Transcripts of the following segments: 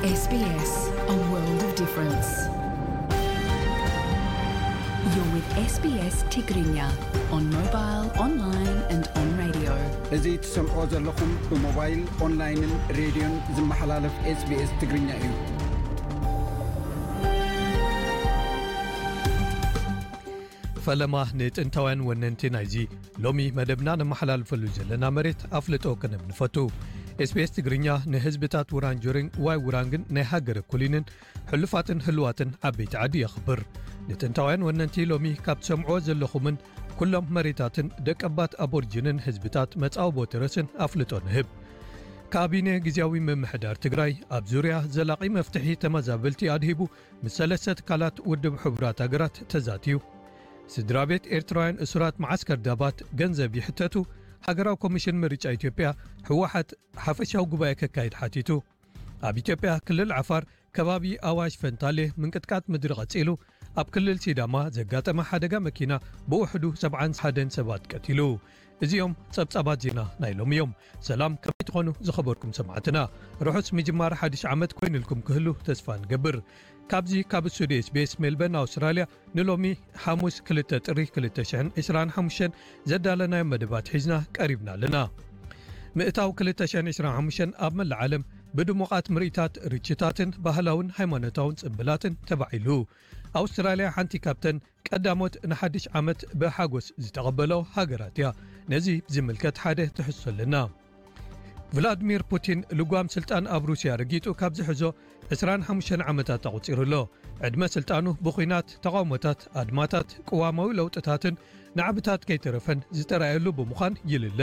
S B S, a world of difference. You're with S B S Tigrinya on mobile, online and on radio. እዚ ትሰምዖ ዘለኹም ብሞባይል፣ ኦንላይንን ሬድዮን ዝመሓላለፍ S B S ትግርኛ እዩ። ፈለማ ንጥንታውያን ወነንቲ ናይዚ ሎሚ መደብና ነመሓላልፈሉ ዘለና መሬት ኣፍልጦ ክንህብ ንፈቱ። S B S ትግርኛ ንህዝብታት ውራንጆሪን ዋይ ውራንግን ናይ ሃገረ ኩሊንን ሕሉፋትን ህልዋትን ዓበይቲ ዓዲ የኽብር። ንጥንታውያን ወነንቲ ሎሚ ካብ ትሰምዕዎ ዘለኹምን ኩሎም መሬታትን ደቀባት ኣቦርጅንን ህዝብታት መጻወቦ ተረስን ኣፍልጦ ንህብ። ካቢነ ግዝያዊ ምምሕዳር ትግራይ ኣብ ዙርያ ዘላቒ መፍትሒ ተመዛበልቲ ኣድሂቡ ምስ ሰለስተ ትካላት ውድብ ሕቡራት ሃገራት ተዛትዩ። ስድራ ቤት ኤርትራውያን እሱራት መዓስከር ዳባት ገንዘብ ይሕተቱ። ሃገራዊ ኮሚሽን ምርጫ ኢትዮጵያ ህወሓት ሓፈሻዊ ጉባኤ ከካይድ ሓቲቱ። ኣብ ኢትዮጵያ ክልል ዓፋር ከባቢ ኣዋሽ ፈንታሌ ምንቅጥቃጥ ምድሪ ቀጺሉ። ኣብ ክልል ሲዳማ ዘጋጠመ ሓደጋ መኪና ብውሕዱ ሰብዓን ሓደን ሰባት ቀቲሉ። እዚኦም ጸብጻባት ዜና ናይ ሎሚ እዮም። ሰላም፣ ከመይ ትኾኑ ዝኸበርኩም ሰማዕትና? ርሑስ ምጅማር ሓድሽ ዓመት ኮይኑልኩም ክህሉ ተስፋ ንገብር። ካብዚ ካብ ስቱዲዮ S B S ሜልበርን ኣውስትራልያ ንሎሚ ሓሙስ ክልተ ጥሪ ክልተ ሽሕን ዕስራን ሓሙሽተን ዘዳለናዮ መደባት ሒዝና ቀሪብና ኣለና። ምእታው ክልተ ሽሕን ዕስራን ሓሙሽተን ኣብ መላእ ዓለም ብድሙቓት ምርኢታት፣ ርችታትን ባህላውን ሃይማኖታውን ጽምብላትን ተባዒሉ። ኣውስትራልያ ሓንቲ ካብተን ቀዳሞት ንሓድሽ ዓመት ብሓጎስ ዝተቐበሎ ሃገራት እያ። ነዚ ብዝምልከት ሓደ ትሕዝቶ ኣለና። ቭላድሚር ፑቲን ልጓም ስልጣን ኣብ ሩስያ ረጊጡ ካብ ዝሕዞ ዕስራን ሓሙሽተን ዓመታት ኣቑጺሩ ኣሎ። ዕድመ ስልጣኑ ብኹናት፣ ተቓውሞታት፣ ኣድማታት፣ ቅዋማዊ ለውጥታትን ናዕብታት ከይተረፈን ዝተራእየሉ ብምዃን ይልለ።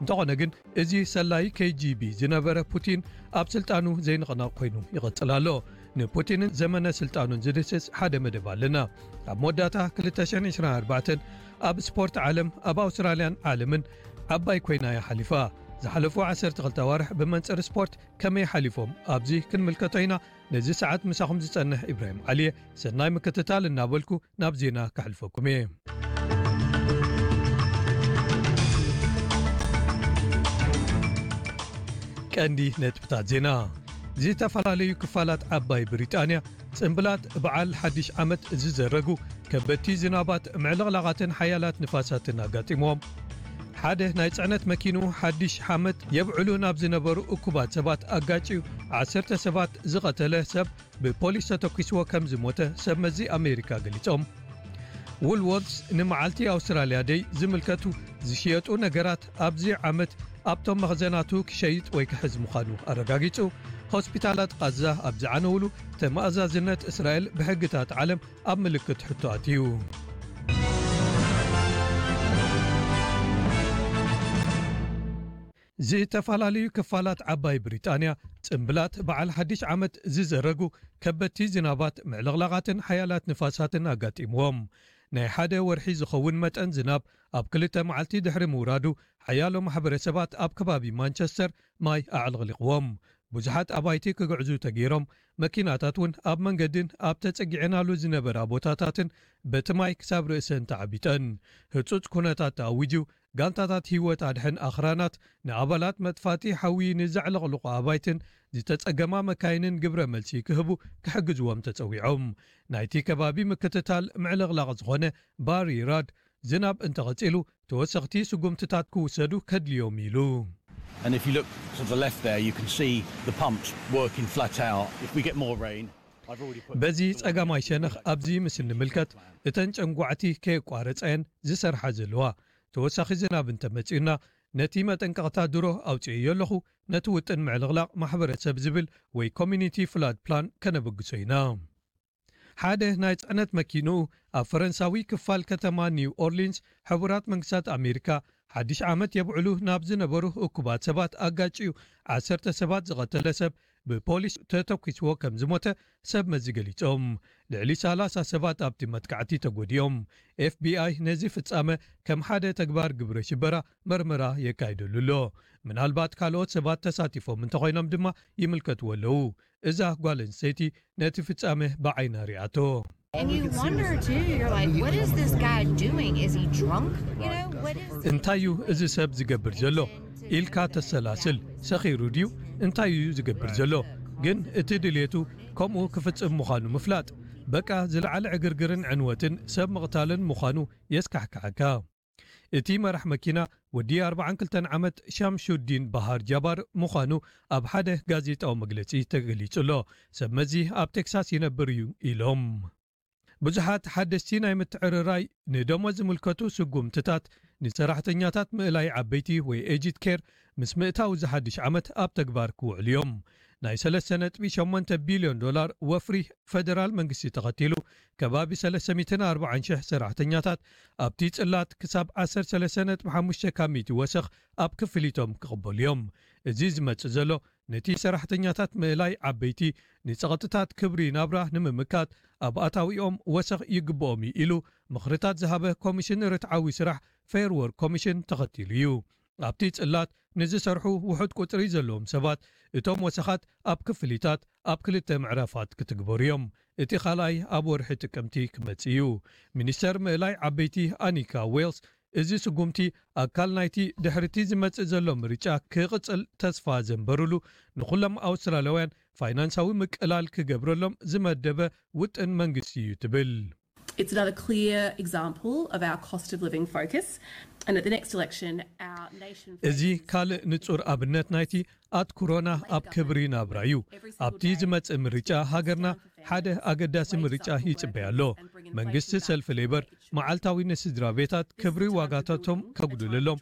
እንተኾነ ግን፣ እዚ ሰላይ K G B ዝነበረ ፑቲን ኣብ ስልጣኑ ዘይንቕነቕ ኮይኑ ይቕጽል ኣሎ። ንፑቲንን ዘመነ ስልጣኑን ዝድህስስ ሓደ መደብ ኣለና። ኣብ መወዳእታ ክልተ ሽሕን ዕስራን ኣርባዕተን ኣብ ስፖርት ዓለም፣ ኣብ ኣውስትራልያን ዓለምን ዓባይ ኮይና እያ ሓሊፋ። ዝሓለፉ ዓሰርተ ክልተ ኣዋርሕ ብመንጽር ስፖርት ከመይ ሓሊፎም ኣብዚ ክንምልከቶ ኢና። ነዚ ሰዓት ምሳኹም ዝጸንሕ ኢብራሂም ዓሊየ፣ ሰናይ ምክትታል እናበልኩ ናብ ዜና ከሕልፈኩም እየ። ቀንዲ ነጥብታት ዜና። ዝተፈላለዩ ክፋላት ዓባይ ብሪጣንያ ጽምብላት በዓል ሓድሽ ዓመት ዝዘረጉ ከበድቲ ዝናባት፣ ምዕልቕላቓትን ሓያላት ንፋሳትን ኣጋጢምዎም። ሓደ ናይ ጽዕነት መኪንኡ ሓድሽ ዓመት የብዕሉ ናብ ዝነበሩ እኩባት ሰባት ኣጋጭዩ ዓሰርተ ሰባት ዝቐተለ ሰብ ብፖሊስ ተተኲስዎ ከም ዝሞተ ሰብ መዚ ኣሜሪካ ገሊጾም። ውልዎርትስ ንመዓልቲ ኣውስትራልያ ደይ ዝምልከቱ ዝሽየጡ ነገራት ኣብዚ ዓመት ኣብቶም መኽዘናቱ ክሸይጥ ወይ ክሕዝ ምዃኑ ኣረጋጊጹ። ሆስፒታላት ቓዛ ኣብ ዝዓነውሉ፣ ተመኣዛዝነት እስራኤል ብሕግታት ዓለም ኣብ ምልክት ሕቶ ኣትዩ። ዝተፈላለዩ ክፋላት ዓባይ ብሪጣንያ ጽምብላት በዓል ሓድሽ ዓመት ዝዘረጉ ከበድቲ ዝናባት፣ ምዕልቕላቓትን ሓያላት ንፋሳትን ኣጋጢምዎም። ናይ ሓደ ወርሒ ዝኸውን መጠን ዝናብ ኣብ ክልተ መዓልቲ ድሕሪ ምውራዱ፣ ሓያሎ ማሕበረሰባት ኣብ ከባቢ ማንቸስተር ማይ ኣዕለቕሊቕዎም። ብዙሓት ኣባይቲ ክግዕዙ ተገይሮም፣ መኪናታት እውን ኣብ መንገድን ኣብ ተጸጊዐናሉ ዝነበራ ቦታታትን በቲ ማይ ክሳብ ርእሰን ተዓቢጠን። ህጹጽ ኩነታት ተኣዊጁ፣ ጋንታታት ህይወት ኣድሕን ኣኽራናት ንኣባላት መጥፋእቲ ሓዊ ንዘዕለቕልቑ ኣባይትን ዝተጸገማ መካይንን ግብረ መልሲ ክህቡ ክሕግዝዎም ተጸዊዖም። ናይቲ ከባቢ ምክትታል ምዕልቕላቕ ዝኾነ ባሪ ራድ፣ ዝናብ እንተቐጺሉ ተወሰኽቲ ስጉምትታት ክውሰዱ ከድልዮም ኢሉ። And if you look to the left there, you can see the pumps working flat out. If we get more rain, I've already put በዚ ጸጋማይ ሸነኽ ኣብዚ ምስ እንምልከት፣ እተን ጨንጓዕቲ ከየቋረጻ እየን ዝሰርሓ ዘለዋ። ተወሳኺ ዝናብ እንተመጺኡና፣ ነቲ መጠንቀቕታ ድሮ ኣውጺኤዮ ኣለኹ። ነቲ ውጥን ምዕልቕላቕ ማሕበረሰብ ዝብል ወይ ኮሚኒቲ ፍላድ ፕላን ከነበግሶ ኢና። ሓደ ናይ ጽዕነት መኪንኡ ኣብ ፈረንሳዊ ክፋል ከተማ ኒው ኦርሊንስ፣ ሕቡራት መንግስታት ኣሜሪካ ሓድሽ ዓመት የብዕሉ ናብ ዝነበሩ እኩባት ሰባት ኣጋጭዩ ዓሰርተ ሰባት ዝቐተለ ሰብ ብፖሊስ ተተኲስዎ ከም ዝሞተ ሰብ መዚ ገሊጾም። ልዕሊ ሰላሳ ሰባት ኣብቲ መጥቃዕቲ ተጎዲኦም። ኤፍ ቢ ኣይ ነዚ ፍጻመ ከም ሓደ ተግባር ግብረ ሽበራ መርመራ የካይደሉ ኣሎ። ምናልባት ካልኦት ሰባት ተሳቲፎም እንተኾይኖም ድማ ይምልከትዎ ኣለዉ። እዛ ጓል ኣንስተይቲ ነቲ ፍጻመ ብዓይና ሪኣቶ። And you wonder too, you're like, what is this guy doing? Is he drunk? You know, what is እንታይ እዩ እዚ ሰብ ዝገብር ዘሎ ኢልካ ተሰላስል። ሰኺሩ ድዩ? እንታይ እዩ ዝገብር ዘሎ? ግን እቲ ድልየቱ ከምኡ ክፍጽም ምዃኑ ምፍላጥ፣ በቃ ዝለዓለ ዕግርግርን ዕንወትን ሰብ ምቕታልን ምዃኑ የስካሕክሓካ። እቲ መራሕ መኪና ወዲ ኣርባዓን ክልተን ዓመት ሻምሹዲን ባሃር ጃባር ምዃኑ ኣብ ሓደ ጋዜጣዊ መግለጺ ተገሊጹ ኣሎ። ሰብ መዚ ኣብ ቴክሳስ ይነብር እዩ ኢሎም። ብዙሓት ሓደስቲ ናይ ምትዕርራይ ንደሞዝ ዝምልከቱ ስጉምትታት ንሰራሕተኛታት ምእላይ ዓበይቲ ወይ ኤጅድ ኬር ምስ ምእታው ዝሓድሽ ዓመት ኣብ ተግባር ክውዕሉ እዮም። ናይ ሰለስተ ነጥቢ ሸሞንተ ቢልዮን ዶላር ወፍሪ ፈደራል መንግስቲ ተኸቲሉ፣ ከባቢ ሰለስተ ሚእትን ኣርባዓን ሽሕ ሰራሕተኛታት ኣብቲ ጽላት ክሳብ ዓሰርተ ሰለስተ ነጥቢ ሓሙሽተ ካብ ሚእቲ ወሰኽ ኣብ ክፍሊቶም ክቕበሉ እዮም። እዚ ዝመጽእ ዘሎ ነቲ ሰራሕተኛታት ምእላይ ዓበይቲ ንጸቕጥታት ክብሪ ናብራ ንምምካት ኣብ ኣታዊኦም ወሰኽ ይግብኦም እዩ ኢሉ ምኽርታት ዝሃበ ኮሚሽን ርትዓዊ ስራሕ ፌር ወርክ ኮሚሽን ተኸቲሉ እዩ። ኣብቲ ጽላት ንዝሰርሑ ውሑድ ቁጽሪ ዘለዎም ሰባት እቶም ወሰኻት ኣብ ክፍሊታት ኣብ ክልተ ምዕራፋት ክትግበሩ እዮም። እቲ ካልኣይ ኣብ ወርሒ ጥቅምቲ ክመጽእ እዩ። ሚኒስተር ምእላይ ዓበይቲ ኣኒካ ዌልስ፣ እዚ ስጉምቲ ኣካል ናይቲ ድሕርቲ ዝመጽእ ዘሎ ምርጫ ክቕጽል ተስፋ ዘንበሩሉ ንኹሎም ኣውስትራልያውያን ፋይናንሳዊ ምቅላል ክገብረሎም ዝመደበ ውጥን መንግስቲ እዩ ትብል። It's another clear example of our cost of living focus. And at the next election, our nation እዚ ካልእ ንጹር ኣብነት ናይቲ ኣትኩሮና ኣብ ክብሪ ናብራ እዩ። ኣብቲ ዝመጽእ ምርጫ ሃገርና ሓደ ኣገዳሲ ምርጫ ይጽበያ ኣሎ። መንግስቲ ሰልፊ ሌበር መዓልታዊ ንስድራ ቤታት ክብሪ ዋጋታቶም ከጉድለሎም፣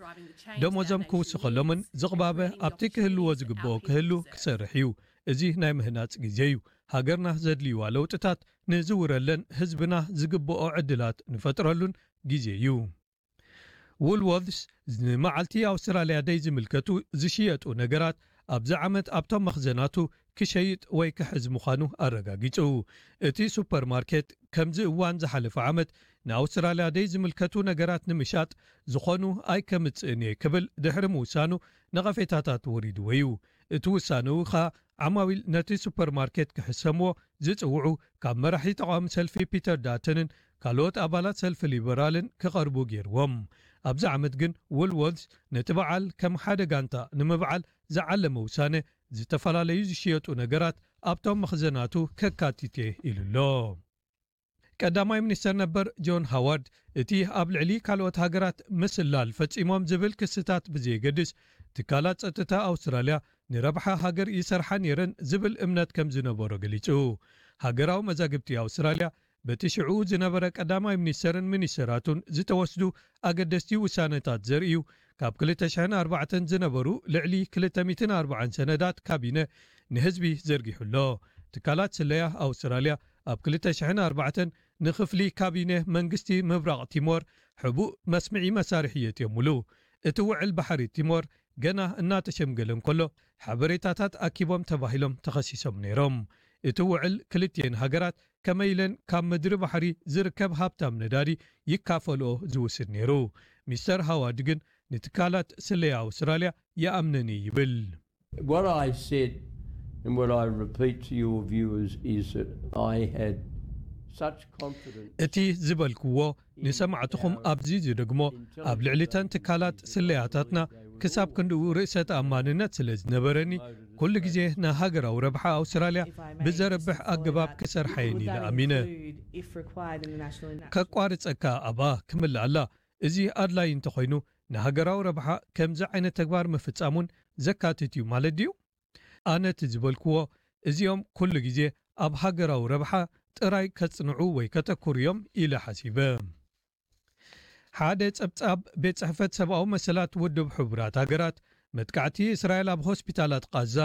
ደሞዞም ክውስኸሎምን ዝቕባበ ኣብቲ ክህልዎ ዝግብኦ ክህሉ ክሰርሕ እዩ። እዚ ናይ ምህናጽ ግዜ እዩ። ሃገርና ዘድልይዋ ለውጥታት ንዝውረለን ህዝብና ዝግብኦ ዕድላት ንፈጥረሉን ግዜ እዩ። ውልወርድስ ንመዓልቲ ኣውስትራልያ ደይ ዝምልከቱ ዝሽየጡ ነገራት ኣብዚ ዓመት ኣብቶም መኽዘናቱ ክሸይጥ ወይ ክሕዝ ምዃኑ ኣረጋጊጹ። እቲ ሱፐርማርኬት ከምዚ እዋን ዝሓለፈ ዓመት ንኣውስትራልያ ደይ ዝምልከቱ ነገራት ንምሻጥ ዝኾኑ ኣይከምጽእን እየ ክብል ድሕሪ ምውሳኑ ነቐፌታታት ወሪድዎ እዩ። እቲ ውሳነኡ ኸኣ ዓማዊል ነቲ ሱፐርማርኬት ክሕሰምዎ ዝጽውዑ ካብ መራሒ ተቓዋሚ ሰልፊ ፒተር ዳተንን ካልኦት ኣባላት ሰልፊ ሊበራልን ክቐርቡ ገይርዎም። ኣብዚ ዓመት ግን ውልወርድስ ነቲ በዓል ከም ሓደ ጋንታ ንምብዓል ዝዓለመ ውሳነ ዝተፈላለዩ ዝሽየጡ ነገራት ኣብቶም መኽዘናቱ ከካትት እየ ኢሉ ኣሎ። ቀዳማይ ሚኒስተር ነበር ጆን ሃዋርድ እቲ ኣብ ልዕሊ ካልኦት ሃገራት ምስላል ፈጺሞም ዝብል ክስታት ብዘየገድስ ትካላት ጸጥታ ኣውስትራልያ ንረብሓ ሃገር ይሰርሓ ነይረን ዝብል እምነት ከም ዝነበሮ ገሊጹ። ሃገራዊ መዛግብቲ ኣውስትራልያ በቲ ሽዑ ዝነበረ ቀዳማይ ሚኒስተርን ሚኒስተራቱን ዝተወስዱ ኣገደስቲ ውሳነታት ዘርእዩ ካብ ክልተ ሽሕን ኣርባዕተን ዝነበሩ ልዕሊ ክልተ ሚእትን ኣርባዓን ሰነዳት ካቢነ ንህዝቢ ዘርጊሑ ኣሎ። ትካላት ስለያ ኣውስትራልያ ኣብ ክልተ ሽሕን ኣርባዕተን ንክፍሊ ካቢነ መንግስቲ ምብራቕ ቲሞር ሕቡእ መስምዒ መሳርሒ የእትዮምሉ። እቲ ውዕል ባሕሪ ቲሞር ገና እናተሸምገለ እንከሎ ሓበሬታታት ኣኪቦም ተባሂሎም ተኸሲሶም ነይሮም። እቲ ውዕል ክልቲኤን ሃገራት ከመይ ኢለን ካብ ምድሪ ባሕሪ ዝርከብ ሃብታም ነዳዲ ይካፈልኦ ዝውስን ነይሩ። ሚስተር ሃዋርድ ግን ንትካላት ስለያ ኣውስትራልያ ይኣምነን እዩ ይብል። What I said and what I repeat to your viewers is that I had such confidence. እቲ ዝበልክዎ ንሰማዕትኹም ኣብዚ ዝደግሞ፣ ኣብ ልዕሊተን ትካላት ስለያታትና ክሳብ ክንድኡ ርእሰ ተኣማንነት ስለ ዝነበረኒ፣ ኩሉ ግዜ ንሃገራዊ ረብሓ ኣውስትራልያ ብዘርብሕ ኣገባብ ክሰርሓ እየን ኢለ ኣሚነ። ከቋርጸካ ኣብኣ ክምልኣላ፣ እዚ ኣድላይ እንተኾይኑ ንሃገራዊ ረብሓ ከምዚ ዓይነት ተግባር ምፍጻም እውን ዘካትት እዩ ማለት ድዩ? ኣነ እቲ ዝበልክዎ፣ እዚኦም ኩሉ ግዜ ኣብ ሃገራዊ ረብሓ ጥራይ ከጽንዑ ወይ ከተኩሩ እዮም ኢለ ሓሲበ። ሓደ ጸብጻብ ቤት ጽሕፈት ሰብኣዊ መሰላት ውድብ ሕቡራት ሃገራት፣ መጥቃዕቲ እስራኤል ኣብ ሆስፒታላት ቃዛ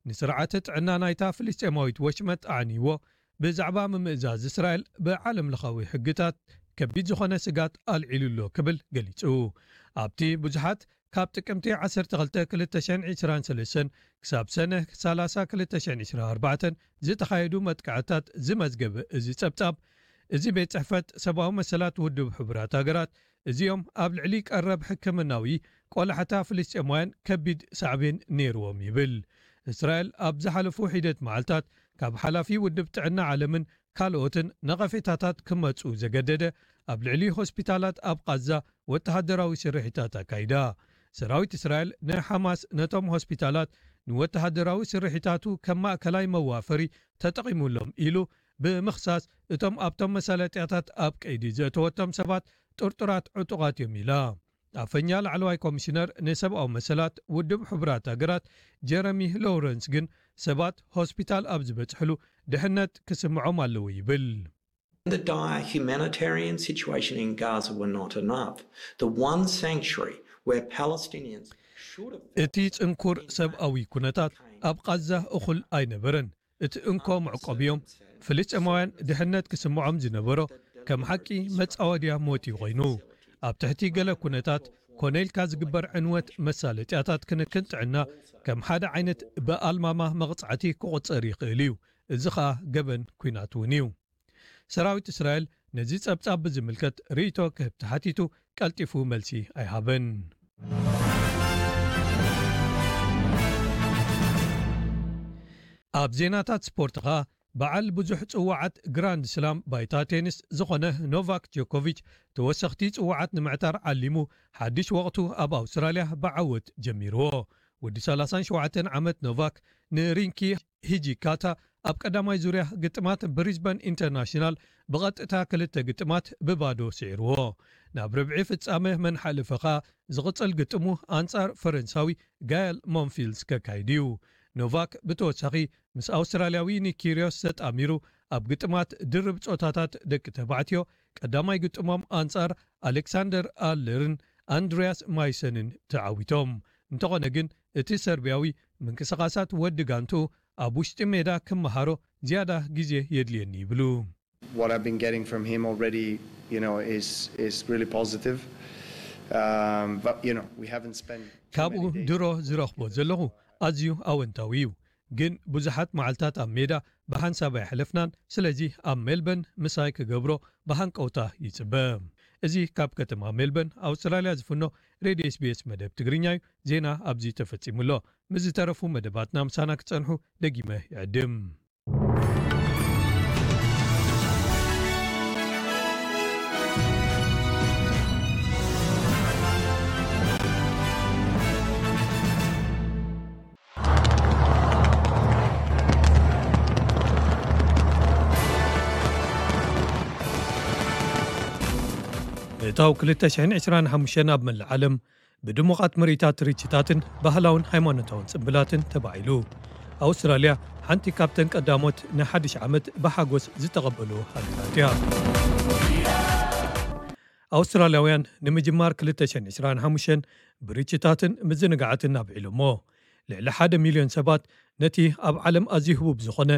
ንስርዓተ ጥዕና ናይታ ፍልስጤማዊት ወሽመጥ ኣዕንይዎ፣ ብዛዕባ ምምእዛዝ እስራኤል ብዓለም ለኻዊ ሕግታት ከቢድ ዝኾነ ስጋት ኣልዒሉ ኣሎ ክብል ገሊጹ። ኣብቲ ብዙሓት ካብ ጥቅምቲ ዓሰርተ ክልተ ክልተ ሽሕን ዕስራን ሰለስተን ክሳብ ሰነ ሰላሳ ክልተ ሽሕን ዕስራን ኣርባዕተን ዝተኻየዱ መጥቃዕታት ዝመዝገበ እዚ ጸብጻብ፣ እዚ ቤት ጽሕፈት ሰብኣዊ መሰላት ውድብ ሕቡራት ሃገራት እዚኦም ኣብ ልዕሊ ቀረብ ሕክምናዊ ቆላሕታ ፍልስጤማውያን ከቢድ ሳዕቤን ነይርዎም ይብል። እስራኤል ኣብ ዝሓለፉ ሒደት መዓልታት ካብ ሓላፊ ውድብ ጥዕና ዓለምን ካልኦትን ነቐፌታታት ክመጹ ዘገደደ ኣብ ልዕሊ ሆስፒታላት ኣብ ቃዛ ወተሃደራዊ ስርሒታት ኣካይዳ። ሰራዊት እስራኤል ንሓማስ ነቶም ሆስፒታላት ንወተሃደራዊ ስርሒታቱ ከም ማእከላይ መዋፈሪ ተጠቒሙሎም ኢሉ ብምኽሳስ፣ እቶም ኣብቶም መሳለጥያታት ኣብ ቀይዲ ዘእተወቶም ሰባት ጥርጡራት ዕጡቓት እዮም ኢላ። ኣፈኛ ላዕለዋይ ኮሚሽነር ንሰብኣዊ መሰላት ውድብ ሕቡራት ሃገራት ጀረሚ ሎውረንስ ግን ሰባት ሆስፒታል ኣብ ዝበጽሕሉ ድሕነት ክስምዖም ኣለዎ ይብል። The dire humanitarian situation in Gaza were not enough. The one sanctuary where Palestinians should have felt እቲ ጽንኩር ሰብኣዊ ኩነታት ኣብ ቓዛ እኹል ኣይነበረን። እቲ እንኮ መዕቆቢኦም ፍልስጤማውያን ድሕነት ክስምዖም ዝነበሮ ከም ሓቂ መጻወድያ ሞት እዩ ኮይኑ። ኣብ ትሕቲ ገለ ኩነታት ኮነ ኢልካ ዝግበር ዕንወት መሳለጥያታት ክንክን ጥዕና ከም ሓደ ዓይነት ብኣልማማ መቕጻዕቲ ክቑጸር ይኽእል እዩ። እዚ ኸኣ ገበን ኲናት እውን እዩ። ሰራዊት እስራኤል ነዚ ጸብጻብ ብዝምልከት ርእይቶ ክህብ ተሓቲቱ ቀልጢፉ መልሲ ኣይሃበን። ኣብ ዜናታት ስፖርት ኸኣ በዓል ብዙሕ ጽዋዓት ግራንድ ስላም ባይታ ቴኒስ ዝኾነ ኖቫክ ጆኮቪች ተወሰኽቲ ጽዋዓት ንምዕታር ዓሊሙ ሓድሽ ወቕቱ ኣብ ኣውስትራልያ ብዓወት ጀሚርዎ። ወዲ ሰላሳን ሸውዓተን ዓመት ኖቫክ ንሪንኪ ሂጂካታ ኣብ ቀዳማይ ዙርያ ግጥማት ብሪዝበን ኢንተርናሽናል ብቐጥታ ክልተ ግጥማት ብባዶ ስዒርዎ። ናብ ርብዒ ፍጻመ መን ሓለፈ ኸኣ ዝቕጽል ግጥሙ ኣንጻር ፈረንሳዊ ጋየል ሞንፊልስ ከካይድ እዩ። ኖቫክ ብተወሳኺ ምስ ኣውስትራልያዊ ኒክ ኪርዮስ ተጣሚሩ ኣብ ግጥማት ድርብ ጾታታት ደቂ ተባዕትዮ ቀዳማይ ግጥሞም ኣንጻር ኣሌክሳንደር ኣለርን ኣንድሪያስ ማይሰንን ተዓዊቶም። እንተኾነ ግን እቲ ሰርቢያዊ ምንቅስቓሳት ወዲ ጋንትኡ ኣብ ውሽጢ ሜዳ ክመሃሮ ዝያዳ ግዜ የድልየኒ ይብሉ። What I've been getting from him already, you know, is is really positive. Um, but you know, we haven't spent too ካብኡ many days ድሮ ዝረኽቦ ዘለኹ ኣዝዩ ኣወንታዊ እዩ። ግን ብዙሓት መዓልታት ኣብ ሜዳ ብሓንሳብ ኣይሕለፍናን። ስለዚ ኣብ ሜልበን ምሳይ ክገብሮ ብሃንቀውታ ይጽበ። እዚ ካብ ከተማ ሜልበን ኣውስትራልያ ዝፍኖ ሬድዮ ኤስቢኤስ መደብ ትግርኛ እዩ። ዜና ኣብዚ ተፈጺሙ ኣሎ። ምስ ዝተረፉ መደባትና ምሳና ክጸንሑ ደጊመ ይዕድም። እታው ክልተ ሽሕን ዕስራን ሓሙሽተን ኣብ መላእ ዓለም ብድሙቓት ምርኢታት ርችታትን ባህላውን ሃይማኖታውን ጽምብላትን ተባዒሉ። ኣውስትራልያ ሓንቲ ካብተን ቀዳሞት ንሓድሽ ዓመት ብሓጎስ ዝተቐበሉ ሃገራት እያ። ኣውስትራልያውያን ንምጅማር ክልተ ሽሕን ዕስራን ሓሙሽተን ብርችታትን ምዝንጋዓትን ኣብዒሎሞ። ልዕሊ ሓደ ሚልዮን ሰባት ነቲ ኣብ ዓለም ኣዝዩ ህቡብ ዝኾነ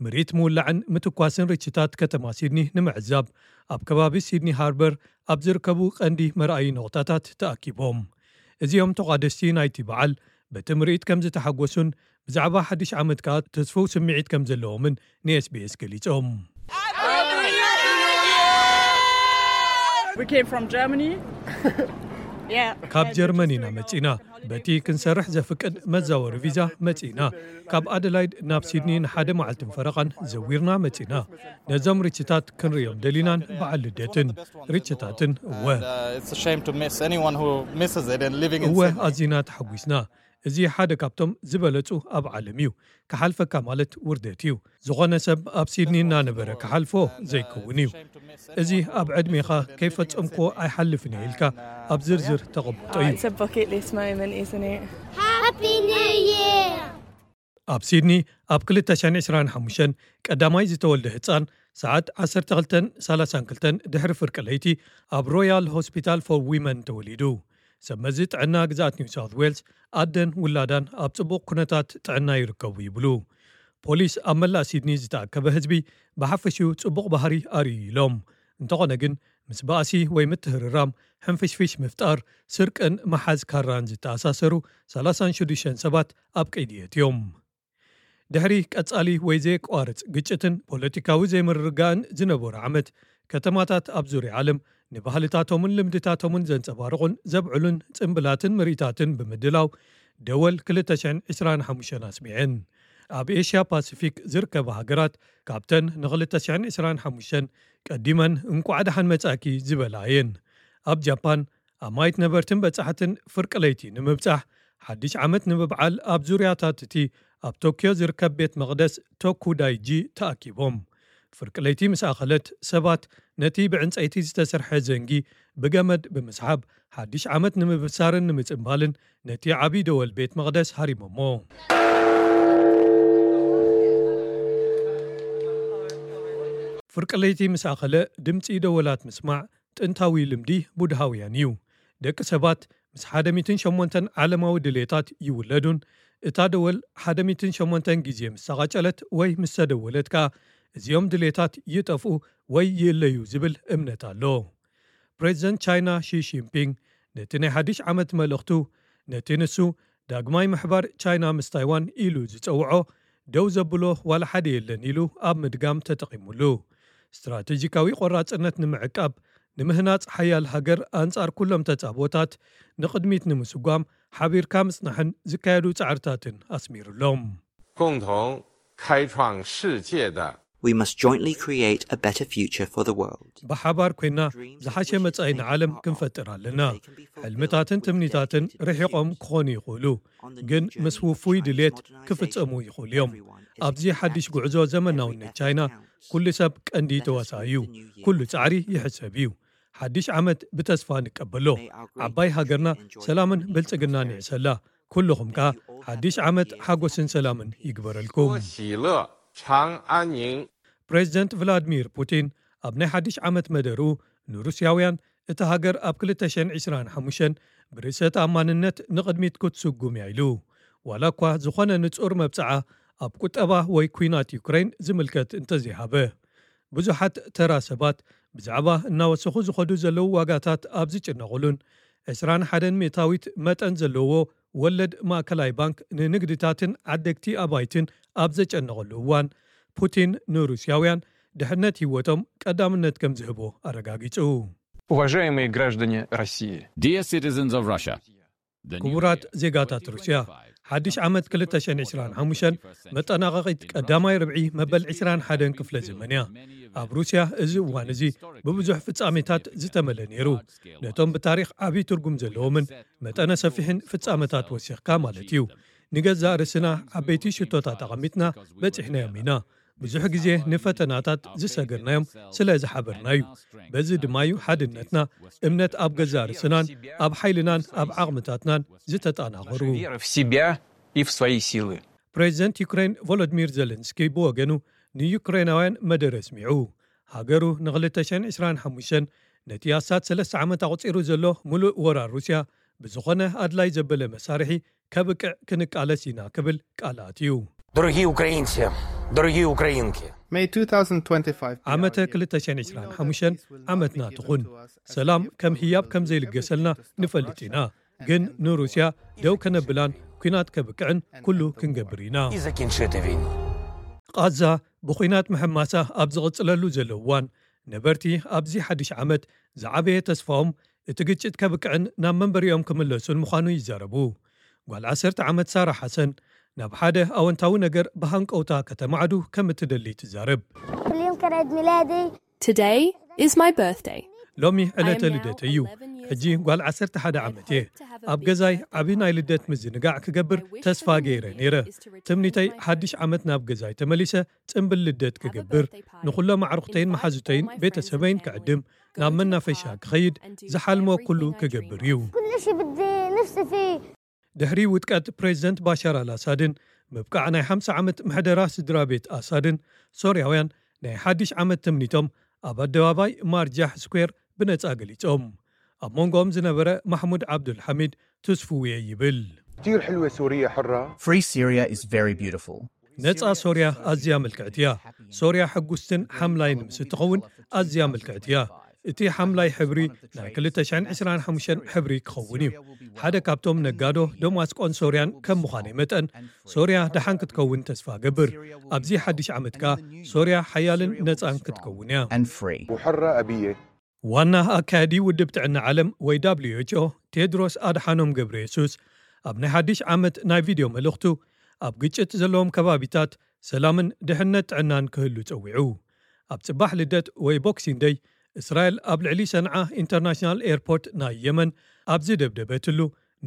ምርኢት ምውላዕን ምትኳስን ርችታት ከተማ ሲድኒ ንምዕዛብ ኣብ ከባቢ ሲድኒ ሃርበር ኣብ ዝርከቡ ቀንዲ መርኣዪ ነቑጣታት ተኣኪቦም። እዚኦም ተቋደስቲ ናይቲ በዓል በቲ ምርኢት ከም ዝተሓጎሱን ብዛዕባ ሓድሽ ዓመት ከኣ ተስፍው ስምዒት ከም ዘለዎምን ንኤስቢኤስ ገሊጾም። We came from Germany. Yeah. ካብ ጀርመን ኢና መጺና። በቲ ክንሰርሕ ዘፍቅድ መዛወሪ ቪዛ መጺና። ካብ ኣደላይድ ናብ ሲድኒ ንሓደ መዓልትን ፈረቓን ዘዊርና መጺና። ነዞም ርችታት ክንርእዮም ደሊናን በዓል ልደትን ርችታትን እወ። And, uh, it's a shame to miss anyone who misses it and living in እወ Sydney. ኣዚና ተሓጒስና። እዚ ሓደ ካብቶም ዝበለጹ ኣብ ዓለም እዩ። ክሓልፈካ ማለት ውርደት እዩ። ዝኾነ ሰብ ኣብ ሲድኒ እናነበረ ክሓልፎ ዘይከውን እዩ። እዚ ኣብ ዕድሜኻ ከይፈጸምክዎ ኣይሓልፍን እየ ኢልካ ኣብ ዝርዝር ተቐምጦ እዩ። It's a bucket list moment, isn't it? Happy New Year! ኣብ ሲድኒ ኣብ ክልተ ሽሕን ዕስራን ሓሙሽተን ቀዳማይ ዝተወልደ ህጻን ሰዓት ዓሰርተ ክልተን ሰላሳን ክልተን ድሕሪ ፍርቂ ለይቲ ኣብ ሮያል ሆስፒታል ፎር ዊመን ተወሊዱ። ሰብ መዚ ጥዕና ግዝኣት ኒው ሳውት ዌልስ ኣደን ውላዳን ኣብ ጽቡቕ ኩነታት ጥዕና ይርከቡ ይብሉ። ፖሊስ ኣብ መላእ ሲድኒ ዝተኣከበ ህዝቢ ብሓፈሽኡ ጽቡቕ ባህሪ ኣርእዩ ኢሎም። እንተኾነ ግን ምስ ባእሲ ወይ ምትህርራም፣ ሕንፍሽፍሽ ምፍጣር፣ ስርቅን ምሓዝ ካራን ዝተኣሳሰሩ ሰላሳን ሽዱሽተን ሰባት ኣብ ቀይዲ የእትዮም። ድሕሪ ቀጻሊ ወይ ዘየቋርጽ ግጭትን ፖለቲካዊ ዘይምርግጋእን ዝነበሩ ዓመት፣ ከተማታት ኣብ ዙርያ ዓለም ንባህልታቶምን ልምድታቶምን ዘንጸባርቑን ዘብዕሉን ጽምብላትን ምርኢታትን ብምድላው ደወል ክልተ ሽሕን ዕስራን ሓሙሽተን ኣስሚዐን። ኣብ ኤሽያ ፓሲፊክ ዝርከባ ሃገራት ካብተን ንክልተ ሽሕን ዕስራን ሓሙሽተን ቀዲመን እንቋዕ ደሓን መጻእኪ ዝበላ እየን። ኣብ ጃፓን ኣማይት ነበርትን በጻሕትን ፍርቂ ለይቲ ንምብጻሕ ሓድሽ ዓመት ንምብዓል ኣብ ዙርያታት እቲ ኣብ ቶክዮ ዝርከብ ቤት መቕደስ ቶኩዳይጂ ተኣኪቦም። ፍርቂ ለይቲ ምስ ኣኸለት፣ ሰባት ነቲ ብዕንጸይቲ ዝተሰርሐ ዘንጊ ብገመድ ብምስሓብ ሓድሽ ዓመት ንምብሳርን ንምጽንባልን ነቲ ዓቢ ደወል ቤት መቕደስ ሃሪሞሞ። ፍርቂ ለይቲ ምስ ኣኸለ፣ ድምጺ ደወላት ምስማዕ ጥንታዊ ልምዲ ቡድሃውያን እዩ። ደቂ ሰባት ምስ ሓደ ሚእትን ሸሞንተን ዓለማዊ ድሌታት ይውለዱን፣ እታ ደወል ሓደ ሚእትን ሸሞንተን ግዜ ምስ ተቓጨለት ወይ ምስ ተደወለት ከኣ፣ እዚኦም ድሌታት ይጠፍኡ ወይ ይእለዩ ዝብል እምነት ኣሎ። ፕሬዚደንት ቻይና ሺ ጂንፒንግ ነቲ ናይ ሓድሽ ዓመት መልእኽቱ፣ ነቲ ንሱ ዳግማይ ምሕባር ቻይና ምስ ታይዋን ኢሉ ዝጸውዖ ደው ዘብሎ ዋላ ሓደ የለን ኢሉ ኣብ ምድጋም ተጠቒሙሉ። ስትራቴጂካዊ ቆራጽነት ንምዕቃብ፣ ንምህናጽ ሓያል ሃገር ኣንጻር ኩሎም ተጻቦታት ንቕድሚት ንምስጓም ሓቢርካ ምጽናሕን ዝካየዱ ጻዕርታትን ኣስሚሩሎም። 共同开创世界的 We must jointly create a better future for the world. ብሓባር ኮይና ዝሓሸ መጻኢ ንዓለም ክንፈጥር ኣለና። ሕልምታትን ትምኒታትን ርሒቖም ክኾኑ ይኽእሉ፣ ግን ምስ ውፉይ ድሌት ክፍጸሙ ይኽእሉ እዮም። ኣብዚ ሓድሽ ጉዕዞ ዘመናውነት ቻይና ኩሉ ሰብ ቀንዲ ተዋሳኢ እዩ። ኩሉ ጻዕሪ ይሕሰብ እዩ። ሓድሽ ዓመት ብተስፋ ንቀበሎ። ዓባይ ሃገርና ሰላምን ብልጽግናን ይዕሰላ። ኩልኹም ከኣ ሓድሽ ዓመት ሓጎስን ሰላምን ይግበረልኩም። 喜乐长安宁。 ፕሬዚደንት ቭላድሚር ፑቲን ኣብ ናይ ሓድሽ ዓመት መደርኡ ንሩስያውያን፣ እታ ሃገር ኣብ ክልተ ሽሕን ዕስራን ሓሙሽተን ብርእሰ ተኣማንነት ንቕድሚት ክትስጉም እያ ኢሉ። ዋላ እኳ ዝኾነ ንጹር መብጽዓ ኣብ ቁጠባ ወይ ኲናት ዩክሬን ዝምልከት እንተዘይሃበ፣ ብዙሓት ተራ ሰባት ብዛዕባ እናወሰኹ ዝኸዱ ዘለዉ ዋጋታት ኣብ ዝጭነቑሉን ዕስራን ሓደን ሚእታዊት መጠን ዘለዎ ወለድ ማእከላይ ባንክ ንንግድታትን ዓደግቲ ኣባይትን ኣብ ዘጨነቐሉ እዋን፣ ፑቲን ንሩስያውያን ድሕነት ህይወቶም ቀዳምነት ከም ዝህቦ ኣረጋጊጹ። Уважаемые граждане России, Dear citizens of Russia, the new ክቡራት year ዜጋታት ሩስያ፣ ሓድሽ ዓመት ክልተ ሽሕን ዕስራን ሓሙሽተን መጠናቐቒት ቀዳማይ ርብዒ መበል ዕስራን ሓደን ክፍለ ዘመን እያ። ኣብ ሩስያ እዚ እዋን እዚ ብብዙሕ ፍጻሜታት ዝተመለ ነይሩ። ነቶም ብታሪኽ ዓቢ ትርጉም ዘለዎምን መጠነ ሰፊሕን ፍጻመታት ወሲኽካ ማለት እዩ። ንገዛእ ርእስና ዓበይቲ ሽቶታት ኣቐሚጥና በጺሕናዮም ኢና። ብዙሕ ግዜ ንፈተናታት ዝሰገርናዮም ስለ ዝሓበርና እዩ። በዚ ድማ እዩ ሓድነትና፣ እምነት ኣብ ገዛእ ርእስናን ኣብ ሓይልናን ኣብ ዓቕምታትናን ዝተጠናኸሩ። Вера в себя и в свои силы. ፕሬዚደንት ዩክሬን ቮሎዲሚር ዘለንስኪ ብወገኑ ንዩክሬናውያን መደረ ኣስሚዑ። ሃገሩ ን ክልተ ሽሕን ዕስራን ሓሙሽተን ነቲ ኣስታት ሰለስተ ዓመት ኣቑጺሩ ዘሎ ምሉእ ወራር ሩስያ ብዝኾነ ኣድላይ ዘበለ መሳርሒ ከብቅዕ ክንቃለስ ኢና ክብል ቃል ኣትዩ። Дорогі українці, дорогі українки. May twenty twenty-five be ዓመተ our year. ክልተ ሽሕን ዕስራን ሓሙሽተን ዓመትና ትኹን። ሰላም ከም ህያብ ከም ዘይልገሰልና ንፈልጥ ኢና። ግን ንሩስያ ደው ከነብላን ኲናት ከብቅዕን ኩሉ ክንገብር ኢና። І закінчити війну. ቃዛ ብኲናት ምሕማሳ ኣብ ዝቕጽለሉ ዘሎ እዋን፣ ነበርቲ ኣብዚ ሓድሽ ዓመት ዝዓበየ ተስፋኦም እቲ ግጭት ከብቅዕን ናብ መንበሪኦም ክምለሱን ምዃኑ ይዛረቡ። ጓል ዓሰርተ ዓመት ሳራ ሓሰን ናብ ሓደ ኣወንታዊ ነገር ብሃንቀውታ ከተማዕዱ ከም እትደሊ ትዛረብ። اليوم كان عيد ميلادي. Today is my birthday. ሎሚ ዕለተ ልደት እዩ። ሕጂ ጓል ዓሰርተ ሓደ ዓመት እየ። ኣብ ገዛይ ዓቢ ናይ ልደት ምዝንጋዕ ክገብር ተስፋ ገይረ ነይረ። ትምኒተይ ሓድሽ ዓመት ናብ ገዛይ ተመሊሰ ጽምብል ልደት ክገብር፣ ንኹሎም ኣዕሩኽተይን መሓዙተይን ቤተሰበይን ክዕድም፣ ናብ መናፈሻ ክኸይድ፣ ዝሓልሞ ኩሉ ክገብር እዩ። كل شيء بدي نفسي فيه. ድሕሪ ውድቀት ፕሬዚደንት ባሻር ኣልኣሳድን ምብቃዕ ናይ ሓምሳ ዓመት ምሕደራ ስድራ ቤት ኣሳድን፣ ሶርያውያን ናይ ሓድሽ ዓመት ትምኒቶም ኣብ ኣደባባይ ማርጃሕ ስኩዌር ብነጻ ገሊጾም። ኣብ መንጎኦም ዝነበረ ማሕሙድ ዓብዱልሓሚድ ትስፉው እየ ይብል። كتير حلوة سوريا حرة. Free Syria is very beautiful. ነጻ ሶርያ ኣዝያ ምልክዕቲ እያ። ሶርያ ሕጉስትን ሓምላይን ምስ እትኸውን ኣዝያ ምልክዕቲ እያ። እቲ ሓምላይ ሕብሪ ናይ ክልተ ሽሕን ዕስራን ሓሙሽተን ሕብሪ ክኸውን እዩ። ሓደ ካብቶም ነጋዶ ደማስቆን ሶርያን ከም ምዃነይ መጠን፣ ሶርያ ደሓን ክትከውን ተስፋ ገብር። ኣብዚ ሓድሽ ዓመት ከኣ ሶርያ ሓያልን ነጻን ክትከውን እያ። And free. وحرة أبية. ዋና ኣካያዲ ውድብ ጥዕና ዓለም ወይ W H O ቴድሮስ ኣድሓኖም ገብረ የሱስ ኣብ ናይ ሓድሽ ዓመት ናይ ቪድዮ መልእኽቱ፣ ኣብ ግጭት ዘለዎም ከባቢታት ሰላምን ድሕነት ጥዕናን ክህሉ ጸዊዑ። ኣብ ጽባሕ ልደት ወይ ቦክሲንግ ደይ፣ እስራኤል ኣብ ልዕሊ ሰንዓ ኢንተርናሽናል ኤርፖርት ናይ የመን ኣብ ዝደብደበትሉ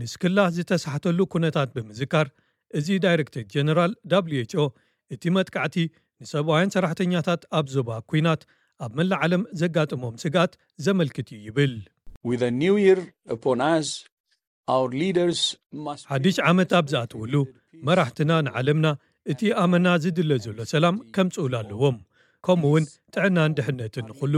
ንስክላ ዝተሳሕተሉ ኩነታት ብምዝካር፣ እዚ ዳይሬክተር ጀነራል ደብሊው ኤች ኦ እቲ መጥቃዕቲ ንሰብኣውያን ሰራሕተኛታት ኣብ ዞባ ኲናት ኣብ መላእ ዓለም ዘጋጠሞም ስግኣት ዘመልክት እዩ ይብል። With a new year upon us, our leaders must ሓድሽ ዓመት ኣብ ዝኣትውሉ፣ መራሕትና ንዓለምና እቲ ኣመና ዝድለ ዘሎ ሰላም ከምጽኡሉ ኣለዎም። ከምኡ እውን ጥዕናን ድሕነትን ንኹሉ።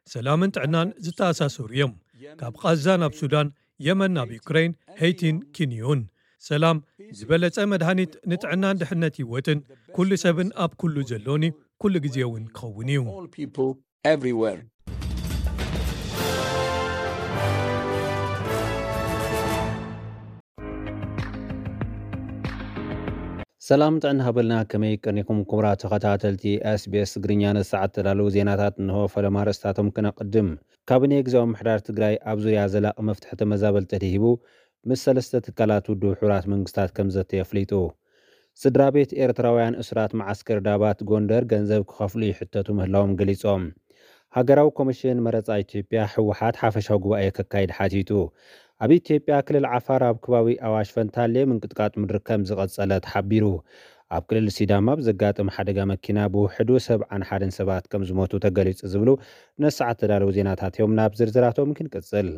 ሰላምን ጥዕናን ዝተኣሳሰሩ እዮም። ካብ ቓዛ ናብ ሱዳን፣ የመን ናብ ዩክሬን፣ ሄይቲን ኪንዩን። ሰላም ዝበለጸ መድሃኒት ንጥዕናን ድሕነት ህይወትን ኩሉ ሰብን ኣብ ኩሉ ዘሎን እዩ። ኩሉ ግዜ እውን ክኸውን እዩ። All people everywhere. ሰላም ጥዕና ሃበልና። ከመይ ቀኒኹም ክቡራት ተኸታተልቲ ኤስቢኤስ ትግርኛ? ንሰዓት ተዳለዉ ዜናታት እንሆ። ፈለማ ርእስታቶም ክነቕድም። ካቢኔ ግዝያዊ ምሕዳር ትግራይ ኣብ ዙርያ ዘላቒ መፍትሒ ተመዛበልቲ ተደሂቡ ምስ ሰለስተ ትካላት ውድብ ሕቡራት መንግስታት ከም ዘተ የፍሊጡ። ስድራ ቤት ኤርትራውያን እሱራት መዓስከር ዳባት ጎንደር ገንዘብ ክኸፍሉ ይሕተቱ ምህላዎም ገሊጾም። ሃገራዊ ኮሚሽን መረጻ ኢትዮጵያ ህወሓት ሓፈሻዊ ጉባኤ ከካይድ ሓቲቱ። ኣብ ኢትዮጵያ ክልል ዓፋር ኣብ ከባቢ ኣዋሽ ፈንታሌ ምንቅጥቃጥ ምድሪ ከም ዝቐጸለ ተሓቢሩ። ኣብ ክልል ሲዳማ ብዘጋጠመ ሓደጋ መኪና ብውሕዱ ሰብዓን ሓደን ሰባት ከም ዝሞቱ ተገሊጹ ዝብሉ ነሰዓት ተዳለዉ ዜናታት እዮም። ናብ ዝርዝራቶም ክንቅጽል።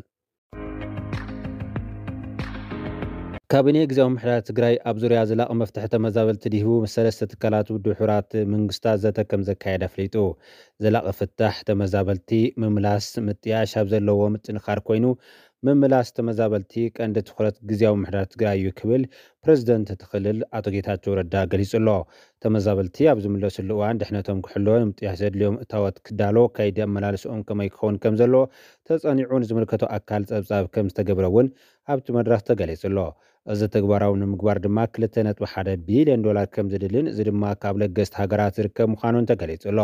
ካቢኔ ግዝያዊ ምሕዳር ትግራይ ኣብ ዙርያ ዘላቒ መፍትሒ ተመዛበልቲ ድሂቡ ምስ ሰለስተ ትካላት ውድብ ሕቡራት መንግስታት ዘተ ከም ዘካየደ ኣፍሊጡ። ዘላቒ ፍታሕ ተመዛበልቲ ምምላስ ምጥያሽ ኣብ ዘለዎ ምጥንኻር ኮይኑ፣ ምምላስ ተመዛበልቲ ቀንዲ ትኹረት ግዝያዊ ምሕዳር ትግራይ እዩ ክብል ፕሬዝደንት እቲ ክልል ኣቶ ጌታቸው ረዳ ገሊጹ ኣሎ። ተመዛበልቲ ኣብ ዝምለስሉ እዋን ድሕነቶም ክሕሎ ንምጥያሽ ዘድልዮም እታወት ክዳሎ ከይዲ ኣመላልስኦም ከመይ ክኸውን ከም ዘለዎ ተጸኒዑ ንዝምልከቶ ኣካል ጸብጻብ ከም ዝተገብረ እውን ኣብቲ መድረኽ ተገሊጹ ኣሎ። እዚ ተግባራዊ ንምግባር ድማ ክልተ ነጥቢ ሓደ ቢልዮን ዶላር ከም ዝድልን እዚ ድማ ካብ ለገስቲ ሃገራት ዝርከብ ምዃኑን ተገሊጹ ኣሎ።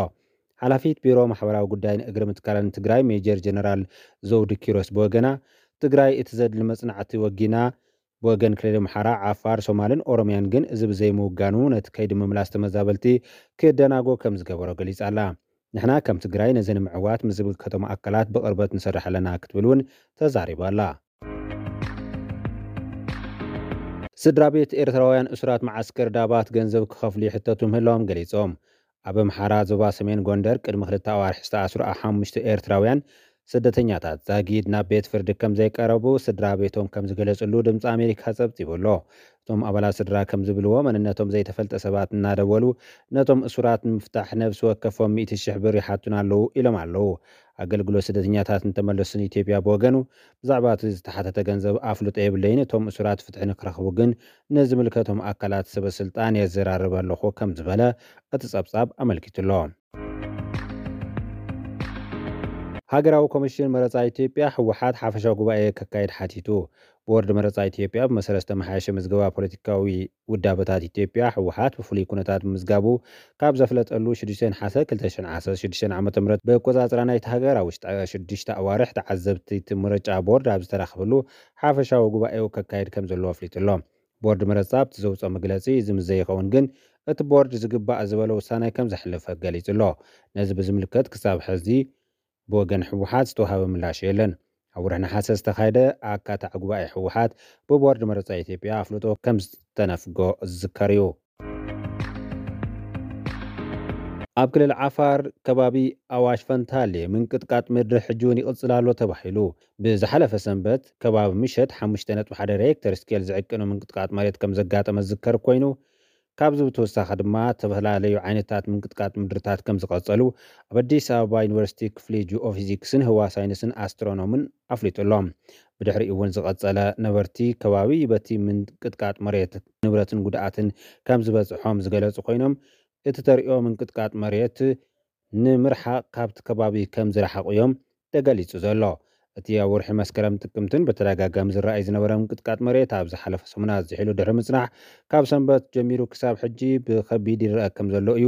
ሓላፊት ቢሮ ማሕበራዊ ጉዳይን እግሪ ምትካልን ትግራይ ሜጀር ጀነራል ዘውዱ ኪሮስ ብወገና ትግራይ እቲ ዘድሊ መጽናዕቲ ወጊና ብወገን ክልል ኣምሓራ፣ ዓፋር፣ ሶማልን ኦሮምያን ግን እዚ ብዘይምውጋኑ ነቲ ከይዲ ምምላስ ተመዛበልቲ ክደናጎ ከም ዝገበሮ ገሊጻ ኣላ። ንሕና ከም ትግራይ ነዚ ንምዕዋት ምስ ዝምልከቶም ኣካላት ብቕርበት ንሰርሕ ኣለና ክትብል እውን ተዛሪባ ኣላ። ስድራ ቤት ኤርትራውያን እሱራት መዓስከር ዳባት ገንዘብ ክኸፍሉ ይሕተቱ ምህላዎም ገሊጾም። ኣብ ኣምሓራ ዞባ ሰሜን ጎንደር ቅድሚ ክልተ ኣዋርሒ ዝተኣስሩ ሓሙሽተ ኤርትራውያን ስደተኛታት ዛጊድ ናብ ቤት ፍርዲ ከም ዘይቀረቡ ስድራ ቤቶም ከም ዝገለጽሉ ድምፂ ኣሜሪካ ጸብጺቡ ኣሎ። እቶም ኣባላት ስድራ ከም ዝብልዎ መንነቶም ዘይተፈልጠ ሰባት እናደወሉ ነቶም እሱራት ንምፍታሕ ነብሲ ወከፎም ሚእቲ ሽሕ ብር ይሓቱና ኣለዉ ኢሎም ኣለዉ። ኣገልግሎት ስደተኛታት እንተመለሱን ኢትዮጵያ ብወገኑ ብዛዕባ እቲ ዝተሓተተ ገንዘብ ኣፍልጦ የብለይን፣ እቶም እሱራት ፍትሒ ንክረኽቡ ግን ንዝምልከቶም ኣካላት ሰበ ስልጣን የዘራርብ ኣለኹ ከም ዝበለ እቲ ጸብጻብ ኣመልኪቱ ኣሎ። ሃገራዊ ኮሚሽን መረጻ ኢትዮጵያ ህወሓት ሓፈሻዊ ጉባኤ ከካይድ ሓቲቱ። ቦርድ መረጻ ኢትዮጵያ ብመሰረት ዝተመሓየሸ ምዝገባ ፖለቲካዊ ውዳበታት ኢትዮጵያ ህወሓት ብፍሉይ ኩነታት ብምዝጋቡ ካብ ዘፍለጠሉ ሽዱሽተ ነሓሰ ክልተ ሽሕን ዓሰርተ ሽዱሽተን ዓመተ ምህረት ብኣቆጻጽራ ናይቲ ሃገር ኣብ ውሽጢ ሽዱሽተ ኣዋርሕ ተዓዘብቲ እቲ ምርጫ ቦርድ ኣብ ዝተረኸብሉ ሓፈሻዊ ጉባኤኡ ከካይድ ከም ዘለዎ ኣፍሊጡ ኣሎ። ቦርድ መረጻ ኣብቲ ዘውፅኦ መግለፂ እዚ ምስ ዘይኸውን ግን እቲ ቦርድ ዝግባእ ዝበሎ ውሳነ ከም ዘሕልፍ ገሊጹ ኣሎ። ነዚ ብዝምልከት ክሳብ ሕዚ ብወገን ህወሓት ዝተዋሃበ ምላሽ የለን። ኣብ ወርሒ ነሓሰ ዝተኻየደ ኣካታዒ ጉባኤ ህወሓት ብቦርድ መረጻ ኢትዮጵያ ኣፍልጦ ከም ዝተነፍጎ ዝዝከር እዩ። ኣብ ክልል ዓፋር ከባቢ ኣዋሽ ፈንታሌ ምንቅጥቃጥ ምድሪ ሕጂ እውን ይቕጽል ኣሎ ተባሂሉ። ብዝሓለፈ ሰንበት ከባቢ ምሸት ሓሙሽተ ነጥቢ ሓደ ሬክተር ስኬል ዝዕቅኑ ምንቅጥቃጥ መሬት ከም ዘጋጠመ ዝዝከር ኮይኑ፣ ካብዚ ብተወሳኺ ድማ ዝተፈላለዩ ዓይነታት ምንቅጥቃጥ ምድርታት ከም ዝቐጸሉ ኣብ ኣዲስ ኣበባ ዩኒቨርሲቲ ክፍሊ ጂኦፊዚክስን ህዋ ሳይንስን ኣስትሮኖምን ኣፍሊጡ ኣሎ። ብድሕሪኡ እውን ዝቐጸለ ነበርቲ ከባቢ በቲ ምንቅጥቃጥ መሬት ንብረትን ጉድኣትን ከም ዝበጽሖም ዝገለጹ ኮይኖም፣ እቲ ተርእዮ ምንቅጥቃጥ መሬት ንምርሓቕ ካብቲ ከባቢ ከም ዝረሓቑ እዮም ተገሊጹ ዘሎ። እቲ ኣብ ወርሒ መስከረም ጥቅምትን ብተደጋጋሚ ዝረኣይ ዝነበረ ምንቅጥቃጥ መሬት ኣብ ዝሓለፈ ሰሙናት ዝሒሉ ድሕሪ ምጽናሕ፣ ካብ ሰንበት ጀሚሩ ክሳብ ሕጂ ብኸቢድ ይረአ ከም ዘሎ እዩ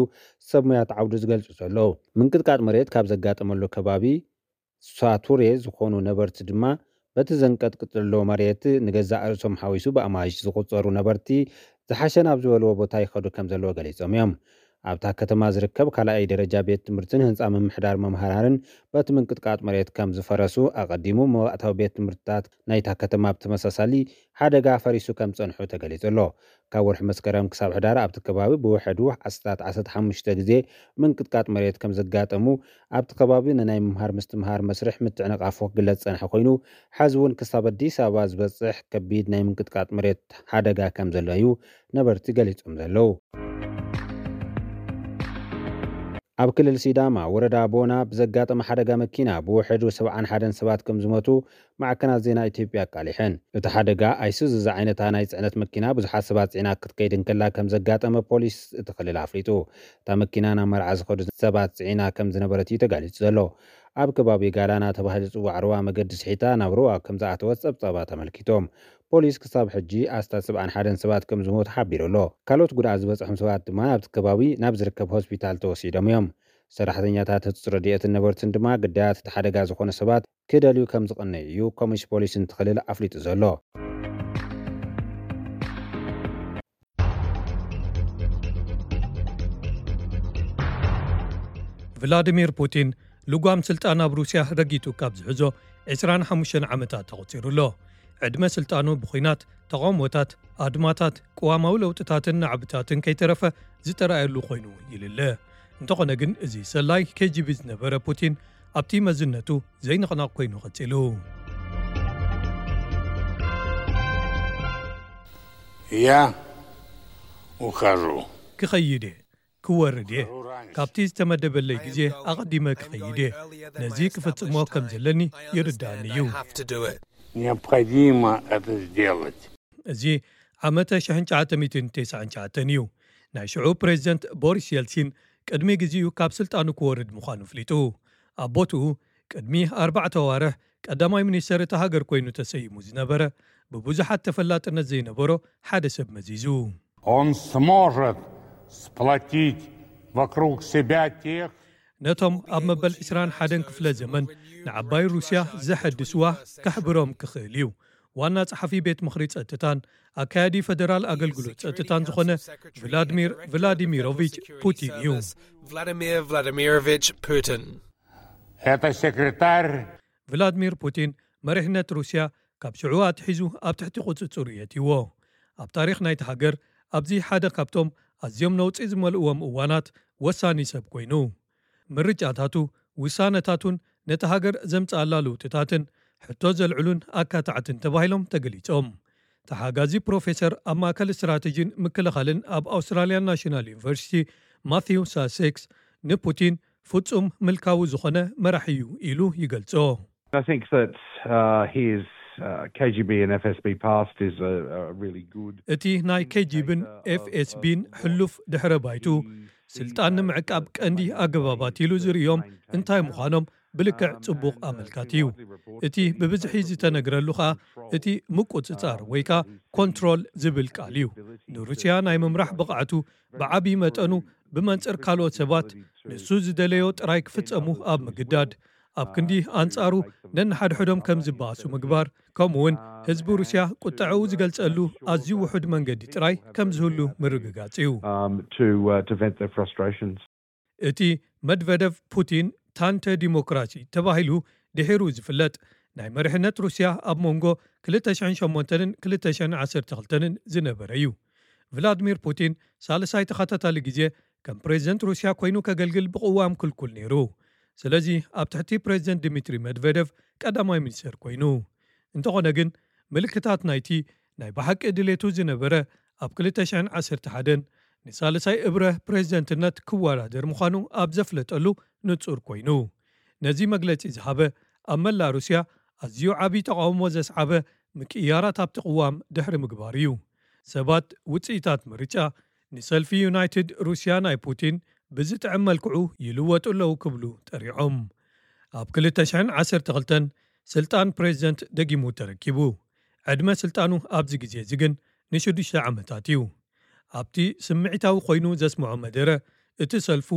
ሰብ ሞያት ዓውዲ ዝገልጹ ዘለዉ። ምንቅጥቃጥ መሬት ካብ ዘጋጠመሉ ከባቢ ሳቱሬ ዝኾኑ ነበርቲ ድማ በቲ ዘንቀጥቅጥ ዘሎ መሬት ንገዛእ ርእሶም ሓዊሱ ብኣማይሽ ዝቑጸሩ ነበርቲ ዝሓሸ ናብ ዝበልዎ ቦታ ይኸዱ ከም ዘለዎ ገሊጾም እዮም። ኣብታ ከተማ ዝርከብ ካልኣይ ደረጃ ቤት ትምህርትን ህንፃ ምምሕዳር መምሃራንን በቲ ምንቅጥቃጥ መሬት ከም ዝፈረሱ ኣቐዲሙ መባእታዊ ቤት ትምህርትታት ናይታ ከተማ ብተመሳሳሊ ሓደጋ ፈሪሱ ከም ጸንሑ ተገሊጹ ኣሎ። ካብ ወርሒ መስከረም ክሳብ ሕዳር ኣብቲ ከባቢ ብውሕዱ ኣስታት ዓሰርተ ሓሙሽተ ግዜ ምንቅጥቃጥ መሬት ከም ዘጋጠሙ ኣብቲ ከባቢ ንናይ ምምሃር ምስትምሃር መስርሕ ምትዕንቓፉ ክግለጽ ጸንሐ ኮይኑ፣ ሕዚ እውን ክሳብ ኣዲስ ኣበባ ዝበጽሕ ከቢድ ናይ ምንቅጥቃጥ መሬት ሓደጋ ከም ዘሎ እዩ ነበርቲ ገሊጾም ዘለዉ። ኣብ ክልል ሲዳማ ወረዳ ቦና ብዘጋጠመ ሓደጋ መኪና ብውሕዱ ሰብዓን ሓደን ሰባት ከም ዝሞቱ ማዕከናት ዜና ኢትዮጵያ ኣቃሊሐን። እቲ ሓደጋ ኣይሱዙ ዝዓይነታ ናይ ጽዕነት መኪና ብዙሓት ሰባት ጽዒና ክትከይድ እንከላ ከም ዘጋጠመ ፖሊስ እቲ ክልል ኣፍሊጡ። እታ መኪና ናብ መርዓ ዝኸዱ ሰባት ጽዒና ከም ዝነበረት እዩ ተጋሊጹ ዘሎ። ኣብ ከባቢ ጋላና ተባሂሉ ዝጽዋዕ ሩባ መገዲ ስሒታ ናብ ሩባ ከም ዝኣተወት ጸብጻባት ኣመልኪቶም። ፖሊስ ክሳብ ሕጂ ኣስታት ሰብዓን ሓደን ሰባት ከም ዝሞቱ ሓቢሩ ኣሎ። ካልኦት ጉድኣት ዝበጽሖም ሰባት ድማ ናብቲ ከባቢ ናብ ዝርከብ ሆስፒታል ተወሲዶም እዮም። ሰራሕተኛታት ህጹጽ ረድኤትን ነበርትን ድማ ግዳያት እቲ ሓደጋ ዝኾኑ ሰባት ክደልዩ ከም ዝቐነዩ እዩ ኮሚሽ ፖሊስ እቲ ክልል ኣፍሊጡ ዘሎ። ቭላዲሚር ፑቲን ልጓም ስልጣን ኣብ ሩስያ ረጊጡ ካብ ዝሕዞ ዕስራን ሓሙሽተን ዓመታት ተቖጺሩ ኣሎ። ዕድመ ስልጣኑ ብኹናት፣ ተቓውሞታት፣ ኣድማታት፣ ቅዋማዊ ለውጥታትን ናዕብታትን ከይተረፈ ዝተራእየሉ ኮይኑ ይልለ። እንተኾነ ግን እዚ ሰላይ ኬጂቢ ዝነበረ ፑቲን ኣብቲ መዝነቱ ዘይንቕናቕ ኮይኑ ቀጺሉ። Я ухожу. ክኸይድ እየ፣ ክወርድ እየ። ካብቲ ዝተመደበለይ ግዜ ኣቐዲመ ክኸይድ እየ። ነዚ ክፍጽሞ ከም ዘለኒ ይርዳእኒ እዩ። Необходимо это сделать. እዚ ዓመተ ሽሕን ትሽዓተ ሚእትን ተስዓን ትሽዓተን እዩ። ናይ ሽዑ ፕሬዚደንት ቦሪስ የልሲን ቅድሚ ግዜኡ ካብ ስልጣኑ ክወርድ ምዃኑ ኣፍሊጡ። ኣብ ቦትኡ ቅድሚ ኣርባዕተ ኣዋርሕ ቀዳማይ ሚኒስተር እታ ሃገር ኮይኑ ተሰይሙ ዝነበረ ብብዙሓት ተፈላጥነት ዘይነበሮ ሓደ ሰብ መዚዙ። Он сможет сплотить вокруг себя тех, ነቶም ኣብ መበል ዕስራን ሓደን ክፍለ ዘመን ንዓባይ ሩስያ ዘሐድስዋ ከሕብሮም ክኽእል እዩ። ዋና ጸሓፊ ቤት ምኽሪ ጸጥታን ኣካያዲ ፈደራል ኣገልግሎት ጸጥታን ዝኾነ ቭላድሚር ቭላዲሚሮቪች ፑቲን እዩ። Vladimir Vladimirovich Putin. Это секретарь ቭላድሚር ፑቲን መሪሕነት ሩስያ ካብ ሽዑ ኣትሒዙ ኣብ ትሕቲ ቁጽጽሩ የእትይዎ። ኣብ ታሪኽ ናይቲ ሃገር ኣብዚ ሓደ ካብቶም ኣዝዮም ነውጺ ዝመልእዎም እዋናት ወሳኒ ሰብ ኮይኑ። ምርጫታቱ፣ ውሳነታቱን ነቲ ሃገር ዘምጽኣላ ለውጥታትን ሕቶ ዘልዕሉን ኣካታዕትን ተባሂሎም ተገሊጾም። ተሓጋዚ ፕሮፌሰር ኣብ ማእከል ስትራተጂን ምክልኻልን ኣብ ኣውስትራልያን ናሽናል ዩኒቨርሲቲ ማቲው ሳሴክስ ንፑቲን ፍጹም ምልካዊ ዝኾነ መራሒ እዩ ኢሉ ይገልጾ። I think that uh, his uh, K G B and F S B past is a, a really good. እቲ ናይ ኬጂብን ኤፍኤስቢን ሕሉፍ ድሕረ ባይቱ ስልጣን ንምዕቃብ ቀንዲ ኣገባባት ኢሉ ዝርእዮም እንታይ ምዃኖም ብልክዕ ጽቡቕ ኣመልካቲ እዩ። እቲ ብብዝሒ ዝተነግረሉ ኸኣ እቲ ምቁጽጻር ወይ ከኣ ኮንትሮል ዝብል ቃል እዩ። ንሩስያ ናይ ምምራሕ ብቕዓቱ ብዓቢ መጠኑ ብመንጽር ካልኦት ሰባት ንሱ ዝደለዮ ጥራይ ክፍጸሙ ኣብ ምግዳድ፣ ኣብ ክንዲ ኣንጻሩ ነንሓድሕዶም ከም ዝበኣሱ ምግባር፣ ከምኡ እውን ህዝቢ ሩስያ ቁጠዐኡ ዝገልጸሉ ኣዝዩ ውሑድ መንገዲ ጥራይ ከም ዝህሉ ምርግጋጽ እዩ። Um, to uh, to vent their frustrations. እቲ መድቨደቭ ፑቲን ታንተ ዲሞክራሲ ተባሂሉ ድሒሩ ዝፍለጥ ናይ መሪሕነት ሩስያ ኣብ መንጎ ክልተ ሽሕን ሸሞንተን ክልተ ሽሕን ዓሰርተ ክልተን ዝነበረ እዩ። ቭላድሚር ፑቲን ሳልሳይ ተኸታታሊ ግዜ ከም ፕሬዚደንት ሩስያ ኮይኑ ከገልግል ብቕዋም ክልኩል ነይሩ። ስለዚ ኣብ ትሕቲ ፕሬዚደንት ድሚትሪ መድቨደቭ ቀዳማይ ሚኒስተር ኮይኑ። እንተኾነ ግን ምልክታት ናይቲ ናይ ብሓቂ ድሌቱ ዝነበረ ኣብ ክልተ ሽሕን ዓሰርተ ሓደን ንሳልሳይ እብረ ፕሬዚደንትነት ክወዳደር ምዃኑ ኣብ ዘፍለጠሉ ንጹር ኮይኑ። ነዚ መግለጺ ዝሃበ ኣብ መላእ ሩስያ ኣዝዩ ዓቢ ተቓውሞ ዘስዓበ ምቅያራት ኣብቲ ቅዋም ድሕሪ ምግባር እዩ። ሰባት ውጽኢታት ምርጫ ንሰልፊ ዩናይትድ ሩስያ ናይ ፑቲን ብዝጥዕም መልክዑ ይልወጡ ኣለዉ ክብሉ ጠሪዖም። ኣብ ክልተ ሽሕን ዓሰርተ ክልተን ስልጣን ፕሬዚደንት ደጊሙ ተረኪቡ። ዕድመ ስልጣኑ ኣብዚ ግዜ እዚ ግን ንሽዱሽተ ዓመታት እዩ። ኣብቲ ስምዒታዊ ኮይኑ ዘስምዖ መደረ እቲ ሰልፉ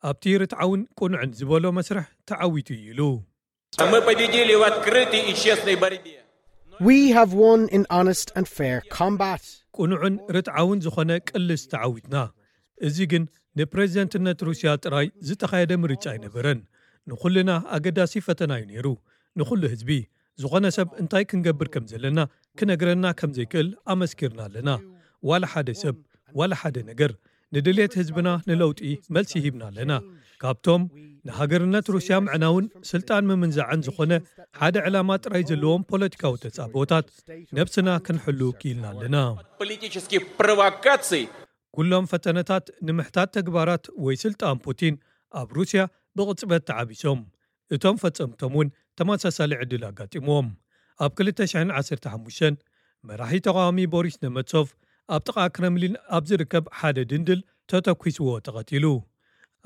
ኣብቲ ርትዓውን ቅኑዕን ዝበሎ መስርሕ ተዓዊቱ እዩ ኢሉ። Мы победили в открытой и честной борьбе. We have won in honest and fair combat. ቅኑዕን ርትዓውን ዝኾነ ቅልስ ተዓዊትና። እዚ ግን ንፕሬዝደንትነት ሩስያ ጥራይ ዝተኻየደ ምርጫ ኣይነበረን። ንኹልና ኣገዳሲ ፈተና እዩ ነይሩ። ንኹሉ ህዝቢ፣ ዝኾነ ሰብ እንታይ ክንገብር ከም ዘለና ክነግረና ከም ዘይክእል ኣመስኪርና ኣለና። ዋላ ሓደ ሰብ፣ ዋላ ሓደ ነገር፣ ንድሌት ህዝብና ንለውጢ መልሲ ሂብና ኣለና። ካብቶም ንሃገርነት ሩስያ ምዕናውን ስልጣን ምምንዛዕን ዝኾነ ሓደ ዕላማ ጥራይ ዘለዎም ፖለቲካዊ ተጻብኦታት ነብስና ክንሕሉ ክኢልና ኣለና። Политических провокаций ኩሎም ፈተነታት ንምሕታት ተግባራት ወይ ስልጣን ፑቲን ኣብ ሩስያ ብቕጽበት ተዓቢሶም። እቶም ፈጸምቶም እውን ተመሳሳሊ ዕድል ኣጋጢምዎም። ኣብ ክልተ ሽሕን ዓሰርተ ሓሙሽተን መራሒ ተቓዋሚ ቦሪስ ነመትሶቭ ኣብ ጥቓ ክረምሊን ኣብ ዝርከብ ሓደ ድንድል ተተኲስዎ ተቐቲሉ።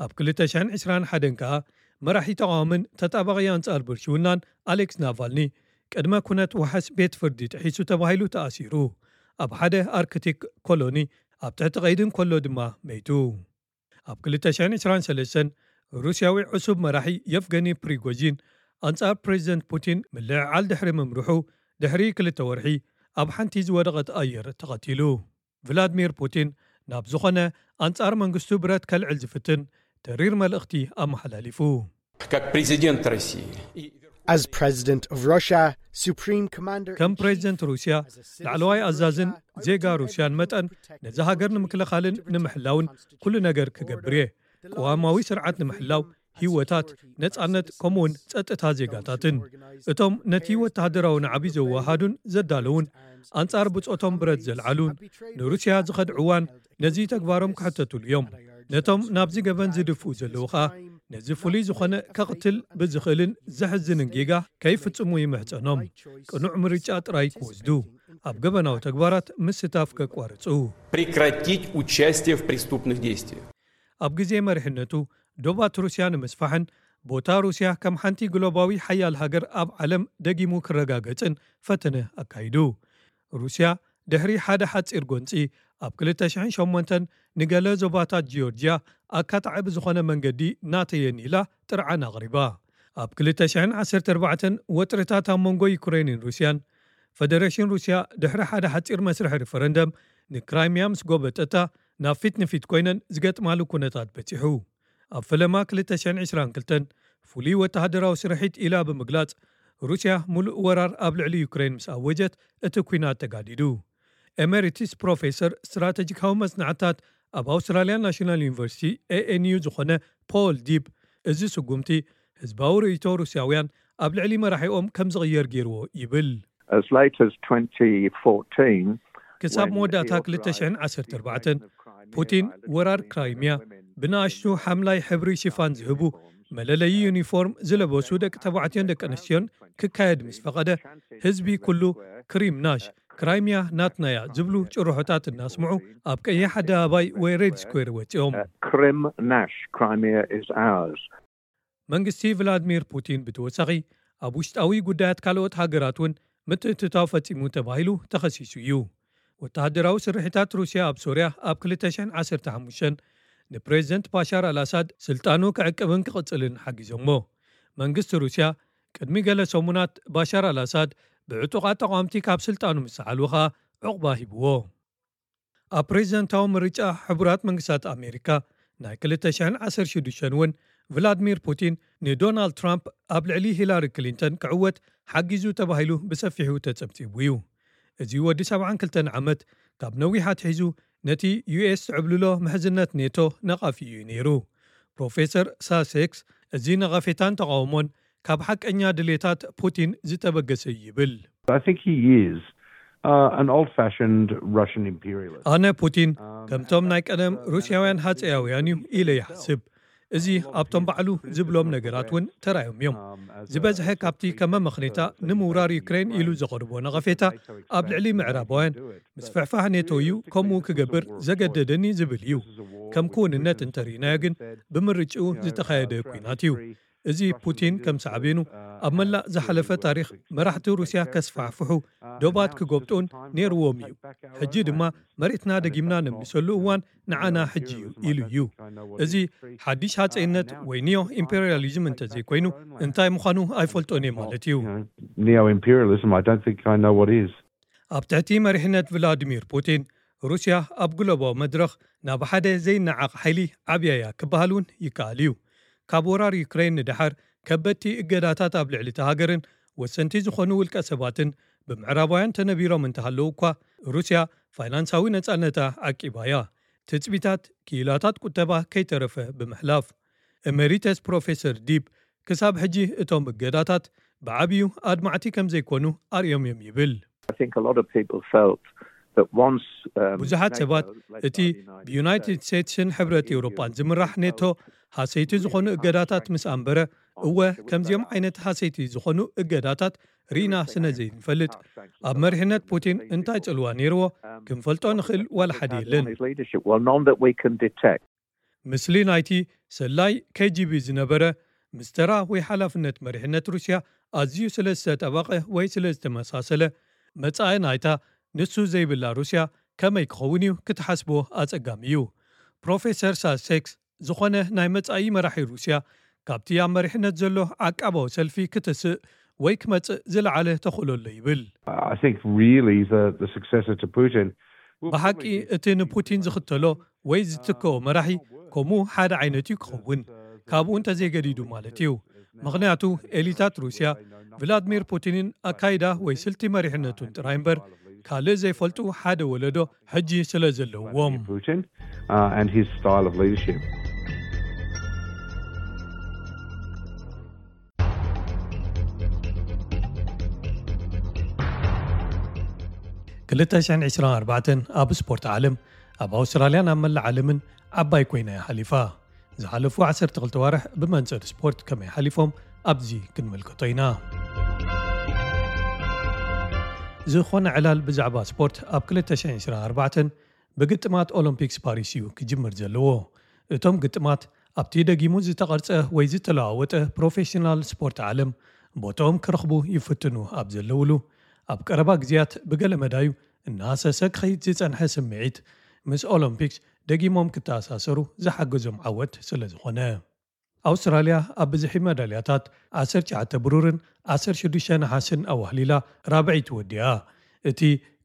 ኣብ ክልተ ሽሕን ዕስራን ሓደን ከኣ መራሒ ተቓዋምን ተጣባቒ ኣንጻር ብልሽውናን ኣሌክስ ናቫልኒ ቅድመ ኩነት ዋሕስ ቤት ፍርዲ ጥሒሱ ተባሂሉ ተኣሲሩ። ኣብ ሓደ ኣርክቲክ ኮሎኒ ኣብ ትሕቲ ቀይዲ እንከሎ ድማ መይቱ። ኣብ ክልተ ሽሕን ዕስራን ሰለስተን ሩስያዊ ዕሱብ መራሒ የፍገኒ ፕሪጎጂን ኣንጻር ፕሬዝደንት ፑቲን ምልዕዓል ድሕሪ ምምርሑ ድሕሪ ክልተ ወርሒ ኣብ ሓንቲ ዝወደቐት ኣየር ተቐቲሉ። ቭላድሚር ፑቲን ናብ ዝኾነ ኣንጻር መንግስቱ ብረት ከልዕል ዝፍትን ተሪር መልእኽቲ ኣመሓላሊፉ። Как президент России. As president of Russia, supreme commander ከም ፕሬዝደንት ሩስያ ላዕለዋይ ኣዛዝን ዜጋ ሩስያን መጠን ነዚ ሃገር ንምክልኻልን ንምሕላውን ኩሉ ነገር ክገብር እየ። ቅዋማዊ ስርዓት ንምሕላው ህይወታት፣ ነጻነት፣ ከምኡውን ጸጥታ ዜጋታትን። እቶም ነቲ ወተሃደራዊ ናዕቢ ዘወሃዱን ዘዳለውን ኣንጻር ብጾቶም ብረት ዘልዓሉን ንሩስያ ዝኸድዕዋን ነዚ ተግባሮም ክሕተቱሉ እዮም። ነቶም ናብዚ ገበን ዝድፍኡ ዘለዉ ኸኣ ነዚ ፍሉይ ዝኾነ ከቕትል ብዝኽእልን ዘሕዝንን ጌጋ ከይፍጽሙ ይምሕጸኖም። ቅኑዕ ምርጫ ጥራይ ክወስዱ፣ ኣብ ገበናዊ ተግባራት ምስታፍ ከቋርጹ። Прекратить участие в преступных действиях. ኣብ ግዜ መሪሕነቱ ዶባት ሩስያ ንምስፋሕን ቦታ ሩስያ ከም ሓንቲ ግሎባዊ ሓያል ሃገር ኣብ ዓለም ደጊሙ ክረጋገጽን ፈተነ ኣካይዱ። ሩስያ ድሕሪ ሓደ ሓጺር ጎንጺ ኣብ ክልተ ሽሕን ሸሞንተን ንገለ ዞባታት ጂዮርጅያ ኣካታዒ ብዝኾነ መንገዲ ናተየን ኢላ ጥርዓን ኣቕሪባ። ኣብ ክልተ ሽሕን ዓሰርተ ኣርባዕተን ወጥርታት ኣብ መንጎ ዩክሬንን ሩስያን ፈደረሽን ሩስያ ድሕሪ ሓደ ሓጺር መስርሕ ሪፈረንደም ንክራይሚያ ምስ ጎበጠታ ናብ ፊት ንፊት ኮይነን ዝገጥማሉ ኩነታት በጺሑ። ኣብ ፈለማ ክልተ ሽሕን ዕስራን ክልተን ፍሉይ ወተሃደራዊ ስርሒት ኢላ ብምግላጽ ሩስያ ሙሉእ ወራር ኣብ ልዕሊ ዩክሬን ምስ ኣወጀት እቲ ኲናት ተጋዲዱ። ኤሜሪትስ ፕሮፌሰር ስትራተጂካዊ መጽናዕታት ኣብ ኣውስትራልያ ናሽናል ዩኒቨርሲቲ ኤኤንዩ ዝኾነ ፖል ዲብ እዚ ስጉምቲ ህዝባዊ ርእይቶ ሩስያውያን ኣብ ልዕሊ መራሒኦም ከም ዝቕየር ገይርዎ ይብል። As late as twenty fourteen, ክሳብ መወዳእታ ክልተ ሽሕን ዓሰርተ ኣርባዕተን ፑቲን ወራር ክራይሚያ ብንኣሽቱ ሓምላይ ሕብሪ ሽፋን ዝህቡ መለለዪ ዩኒፎርም ዝለበሱ ደቂ ተባዕትዮን ደቂ ኣንስትዮን ክካየድ ምስ ፈቐደ ህዝቢ ኩሉ ክሪም ናሽ ክራይሚያ ናትናያ ዝብሉ ጭርሖታት እናስምዑ ኣብ ቀይሕ ኣደባባይ ወይ ሬድ ስኩዌር ወፂኦም። Krim Nash, Crimea is ours. መንግስቲ ቭላድሚር ፑቲን ብተወሳኺ ኣብ ውሽጣዊ ጉዳያት ካልኦት ሃገራት እውን ምትእትታው ፈጺሙ ተባሂሉ ተኸሲሱ እዩ። ወተሃደራዊ ስርሒታት ሩስያ ኣብ ሶርያ ኣብ ክልተ ሽሕን ዓሰርተ ሓሙሽተን ንፕሬዝደንት ባሻር ኣልኣሳድ ስልጣኑ ክዕቅብን ክቕጽልን ሓጊዞሞ። መንግስቲ ሩስያ ቅድሚ ገለ ሰሙናት ባሻር ኣልኣሳድ ብዕጡቓት ተቓወምቲ ካብ ስልጣኑ ምስ ሰዓሉ ኸኣ ዕቑባ ሂብዎ። ኣብ ፕሬዝደንታዊ ምርጫ ሕቡራት መንግስታት ኣሜሪካ ናይ ክልተ ሽሕን ዓሰርተ ሽዱሽተን እውን ቭላድሚር ፑቲን ንዶናልድ ትራምፕ ኣብ ልዕሊ ሂላሪ ክሊንተን ክዕወት ሓጊዙ ተባሂሉ ብሰፊሑ ተጸብጺቡ እዩ። እዚ ወዲ ሰብዓን ክልተን ዓመት ካብ ነዊሕ ኣትሒዙ ነቲ ዩኤስ ትዕብልሎ ምሕዝነት ኔቶ ነቓፊ እዩ ነይሩ። ፕሮፌሰር ሳሴክስ እዚ ነቐፌታን ተቓውሞን ካብ ሓቀኛ ድሌታት ፑቲን ዝተበገሰ እዩ ይብል። I think he is uh, an old fashioned Russian imperialist. ኣነ ፑቲን ከምቶም ናይ ቀደም ሩስያውያን ሃፀያውያን እዩ ኢለ ይሓስብ። እዚ ኣብቶም ባዕሉ ዝብሎም ነገራት እውን ተራዮም እዮም። ዝበዝሐ ካብቲ ከም መመኽኔታ ንምውራር ዩክሬን ኢሉ ዘቐርቦ ነቐፌታ ኣብ ልዕሊ ምዕራባውያን ምስፍሕፋሕ ኔቶ እዩ ከምኡ ክገብር ዘገደደኒ ዝብል እዩ። ከም ክውንነት እንተርኢናዮ ግን ብምርጭኡ ዝተኻየደ ኲናት እዩ። እዚ ፑቲን ከም ሳዕቤኑ ኣብ መላእ ዝሓለፈ ታሪኽ መራሕቲ ሩስያ ከስፋሕፍሑ ዶባት ክጎብጡን ነይርዎም እዩ። ሕጂ ድማ መሬትና ደጊምና ነምልሰሉ እዋን ንዓና ሕጂ እዩ ኢሉ እዩ። እዚ ሓድሽ ሃፀይነት ወይ ኒዮ ኢምፔሪያሊዝም እንተዘይኮይኑ እንታይ ምዃኑ ኣይፈልጦን እየ ማለት እዩ። Neo imperialism, I don't think I know what is. ኣብ ትሕቲ መሪሕነት ቭላዲሚር ፑቲን ሩስያ ኣብ ግሎባዊ መድረኽ ናብ ሓደ ዘይነዓቕ ሓይሊ ዓብያያ ክበሃል እውን ይከኣል እዩ። ካብ ወራር ዩክሬን ንደሓር ከበድቲ እገዳታት ኣብ ልዕሊ እታ ሃገርን ወሰንቲ ዝኾኑ ውልቀ ሰባትን ብምዕራባውያን ተነቢሮም እንተሃለዉ እኳ፣ ሩስያ ፋይናንሳዊ ነጻነታ ዓቂባ እያ። ትጽቢታት ክኢላታት ቁጠባ ከይተረፈ ብምሕላፍ፣ ኤሜሪተስ ፕሮፌሰር ዲፕ ክሳብ ሕጂ እቶም እገዳታት ብዓብዩ ኣድማዕቲ ከም ዘይኮኑ ኣርእዮም እዮም ይብል። I think a lot of people felt that once um, ብዙሓት NATO, ሰባት led እቲ by the United ብዩናይትድ States, ስቴትስን ሕብረት ኤውሮጳን ዝምራሕ ኔቶ ሃሰይቲ ዝኾኑ እገዳታት ምስ ኣንበረ፣ እወ ከምዚኦም ዓይነት ሃሰይቲ ዝኾኑ እገዳታት ርኢና ስነ ዘይንፈልጥ፣ ኣብ መሪሕነት ፑቲን እንታይ ጽልዋ ነይርዎ ክንፈልጦ ንኽእል ዋላ ሓደ የለን። His leadership, well, none that we can detect. ምስሊ ናይቲ ሰላይ ኬ ጂ ቢ ዝነበረ፣ ምስ ተራ ወይ ሓላፍነት መሪሕነት ሩስያ ኣዝዩ ስለ ዝተጠበቐ ወይ ስለ ዝተመሳሰለ፣ መጻኢ ናይታ ንሱ ዘይብላ ሩስያ ከመይ ክኸውን እዩ ክትሓስቦ ኣጸጋሚ እዩ። ፕሮፌሰር ሳሴክስ፣ ዝኾነ ናይ መጻኢ መራሒ ሩስያ ካብቲ ኣብ መሪሕነት ዘሎ ዓቃባዊ ሰልፊ ክትስእ ወይ ክመጽእ ዝለዓለ ተኽእሎ ኣሎ ይብል። I think really the, the successor to Putin will ብሓቂ probably be እቲ ንፑቲን ዝኽተሎ ወይ ዝትከኦ መራሒ ከምኡ ሓደ ዓይነት እዩ ክኸውን፣ ካብኡ እንተዘይገዲዱ ማለት እዩ። ምኽንያቱ ኤሊታት ሩስያ ቭላድሚር ፑቲንን ኣካይዳ ወይ ስልቲ መሪሕነቱን ጥራይ እምበር ካልእ ዘይፈልጡ ሓደ ወለዶ ሕጂ ስለ ዘለውዎም። Putin uh, and his style of leadership. ክልተ ሽሕን ዕስራን ኣርባዕተን ኣብ ስፖርት ዓለም ኣብ ኣውስትራልያን ኣብ መላእ ዓለምን ዓባይ ኮይና እያ ሓሊፋ። ዝሓለፉ ዓሰርተ ክልተ ዋርሕ ብመንጽር ስፖርት ከመይ ሓሊፎም ኣብዚ ክንምልከቶ ኢና። ዝኾነ ዕላል ብዛዕባ ስፖርት ኣብ ክልተ ሽሕን ዕስራን ኣርባዕተን ብግጥማት ኦሎምፒክስ ፓሪስ እዩ ክጅምር ዘለዎ። እቶም ግጥማት ኣብቲ ደጊሙ ዝተቐርጸ ወይ ዝተለዋወጠ ፕሮፌሽናል ስፖርት ዓለም ቦታኦም ክረኽቡ ይፍትኑ ኣብ ዘለውሉ፣ ኣብ ቀረባ ግዜያት ብገለ መዳዩ እናሃሰሰ ክኸይድ ዝጸንሐ ስምዒት ምስ ኦሎምፒክስ ደጊሞም ክተኣሳሰሩ ዝሓገዞም ዓወት ስለ ዝኾነ። ኣውስትራልያ ኣብ ብዝሒ መዳልያታት ዓሰርተ ትሽዓተ ብሩርን ዓሰርተ ሽዱሽተ ነሓስን ኣዋህሊላ ራብዐይቲ ወዲኣ። እቲ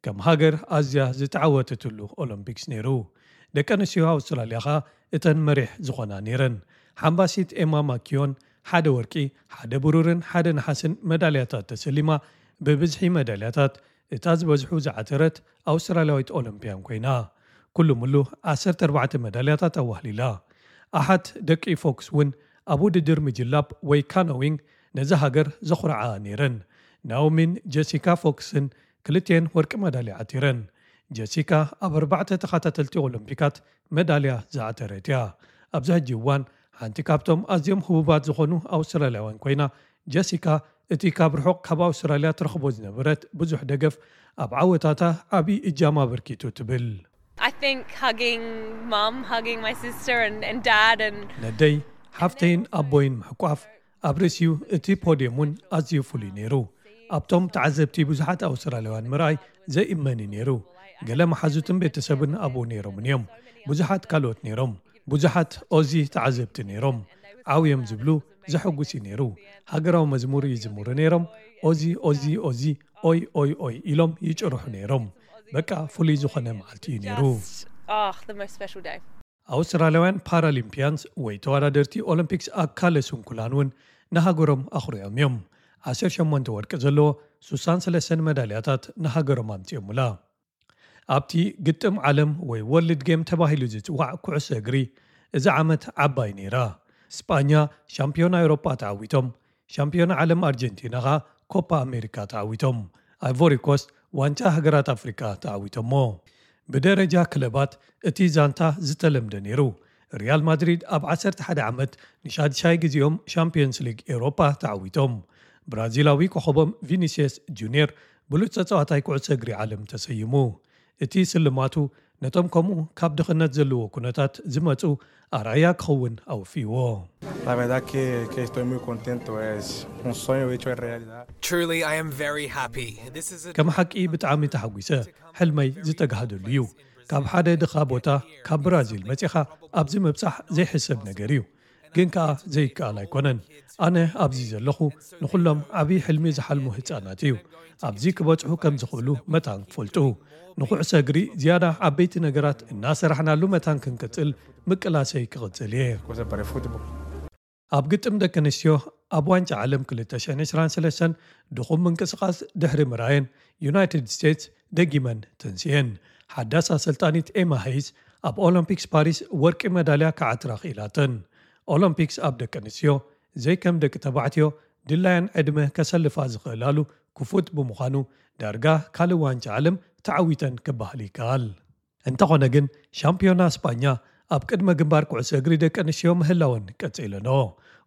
ከም ሃገር ኣዝያ ዝተዓወተትሉ ኦሎምፒክስ ነይሩ። ደቂ ኣንስትዮ ኣውስትራልያ ኸኣ እተን መሪሕ ዝኾና ነይረን። ሓምባሲት ኤማ ማኪዮን ሓደ ወርቂ፣ ሓደ ብሩርን ሓደ ነሓስን መዳልያታት ተሰሊማ፣ ብብዝሒ መዳልያታት እታ ዝበዝሑ ዝዓተረት ኣውስትራልያዊት ኦሎምፒያን ኮይና። ኩሉ ምሉ ዓሰርተ ኣርባዕተ መዳልያታት ኣዋህሊላ። ኣሓት ደቂ ፎክስ እውን ኣብ ውድድር ምጅላብ ወይ ካኖዊንግ ነዛ ሃገር ዘኹርዓ ነይረን። ናኦሚን ጀሲካ ፎክስን ክልቲኤን ወርቂ መዳልያ ዓቲረን። ጀሲካ ኣብ ኣርባዕተ ተኸታተልቲ ኦሎምፒካት መዳልያ ዝዓተረት እያ። ኣብዚ ሕጂ እዋን ሓንቲ ካብቶም ኣዝዮም ህቡባት ዝኾኑ ኣውስትራልያውያን ኮይና፣ ጀሲካ እቲ ካብ ርሑቕ ካብ ኣውስትራልያ ትረኽቦ ዝነበረት ብዙሕ ደገፍ ኣብ ዓወታታ ዓቢ እጃም ኣበርኪቱ ትብል። I think hugging mum, hugging my sister and, and dad and ነደይ ሓፍተይን ኣቦይን ምሕቋፍ ኣብ ርእሲኡ እቲ ፖድየም እውን ኣዝዩ ፍሉይ ነይሩ። ኣብቶም ተዓዘብቲ ብዙሓት ኣውስትራልያውያን ምርኣይ ዘእመን እዩ ነይሩ። ገለ መሓዙትን ቤተሰብን ኣብኡ ነይሮምን እዮም። ብዙሓት ካልኦት ነይሮም። ብዙሓት ኦዚ ተዓዘብቲ ነይሮም። ዓው እዮም ዝብሉ፣ ዘሐጉስ እዩ ነይሩ። ሃገራዊ መዝሙር ይዝምሩ ነይሮም። ኦዚ ኦዚ ኦዚ ኦይ ኦይ ኦይ ኢሎም ይጭርሑ ነይሮም። በቃ ፍሉይ ዝኾነ መዓልቲ እዩ ነይሩ። Just, oh, the most special day. ኣውስትራልያውያን ፓራሊምፒያንስ ወይ ተወዳደርቲ ኦሎምፒክስ ኣካለ ስንኩላን እውን ንሃገሮም ኣኹሪዖም እዮም። ዓሰርተ ሸሞንተ ወርቂ ዘለዎ ሱሳን ሰለስተን መዳልያታት ንሃገሮም ኣምጺኦምላ። ኣብቲ ግጥም ዓለም ወይ ወርልድ ጌም ተባሂሉ ዝጽዋዕ ኩዕሶ እግሪ እዚ ዓመት ዓባይ ነይራ። ስጳኛ ሻምፒዮና ኤውሮጳ ተዓዊቶም፣ ሻምፒዮና ዓለም ኣርጀንቲና ኸኣ ኮፓ ኣሜሪካ ተዓዊቶም። ኣይቮሪ ኮስት ዋንጫ ሃገራት ኣፍሪካ ተዓዊቶሞ። ብደረጃ ክለባት እቲ ዛንታ ዝተለምደ ነይሩ። ሪያል ማድሪድ ኣብ ዓሰርተ ሓደ ዓመት ንሻድሻይ ግዜኦም ሻምፒዮንስ ሊግ ኤውሮጳ ተዓዊቶም። ብራዚላዊ ኮኸቦም ቪኒሲየስ ጁኒየር ብሉጽ ተጻዋታይ ኩዕሶ እግሪ ዓለም ተሰይሙ። እቲ ስልማቱ ነቶም ከምኡ ካብ ድኽነት ዘለዎ ኩነታት ዝመጹ ኣርኣያ ክኸውን ኣወፊዎ። La verdad que, que estoy muy contento, es un sueño hecho realidad. Truly, I am very happy. This is a ከም ሓቂ ብጣዕሚ ተሓጒሰ። ሕልመይ ዝተጋህደሉ እዩ። ካብ ሓደ ድኻ ቦታ ካብ ብራዚል መጺኻ ኣብዚ ምብጻሕ ዘይሕሰብ ነገር እዩ። ግን ከኣ ዘይከኣል ኣይኮነን። ኣነ ኣብዚ ዘለኹ ንኹሎም ዓብዪ ሕልሚ ዝሓልሙ ህጻናት እዩ። ኣብዚ ክበጽሑ ከም ዝኽእሉ መታን ክፈልጡ፣ ንኩዕሶ እግሪ ዝያዳ ዓበይቲ ነገራት እናሰራሕናሉ መታን ክንቅጽል ምቅላሰይ ክቕጽል እየ። ኣብ ግጥም ደቂ ኣንስትዮ ኣብ ዋንጫ ዓለም ክልተ ሽሕን ዕስራን ሰለስተን ድኹም ምንቅስቓስ ድሕሪ ምርኣየን፣ ዩናይትድ ስቴትስ ደጊመን ተንስኤን። ሓዳስ ኣሰልጣኒት ኤማ ሄይስ ኣብ ኦሎምፒክስ ፓሪስ ወርቂ መዳልያ ክዓትራ ክኢላተን። ኦሎምፒክስ ኣብ ደቂ ኣንስትዮ ዘይከም ደቂ ተባዕትዮ ድላያን ዕድመ ከሰልፋ ዝኽእላሉ ክፉት ብምዃኑ፣ ዳርጋ ካልእ ዋንጫ ዓለም ተዓዊተን ክበሃል ይከኣል። እንተኾነ ግን፣ ሻምፒዮና ስጳኛ ኣብ ቅድመ ግንባር ኩዕሶ እግሪ ደቂ ኣንስትዮ ምህላወን ቀጺለንኦ።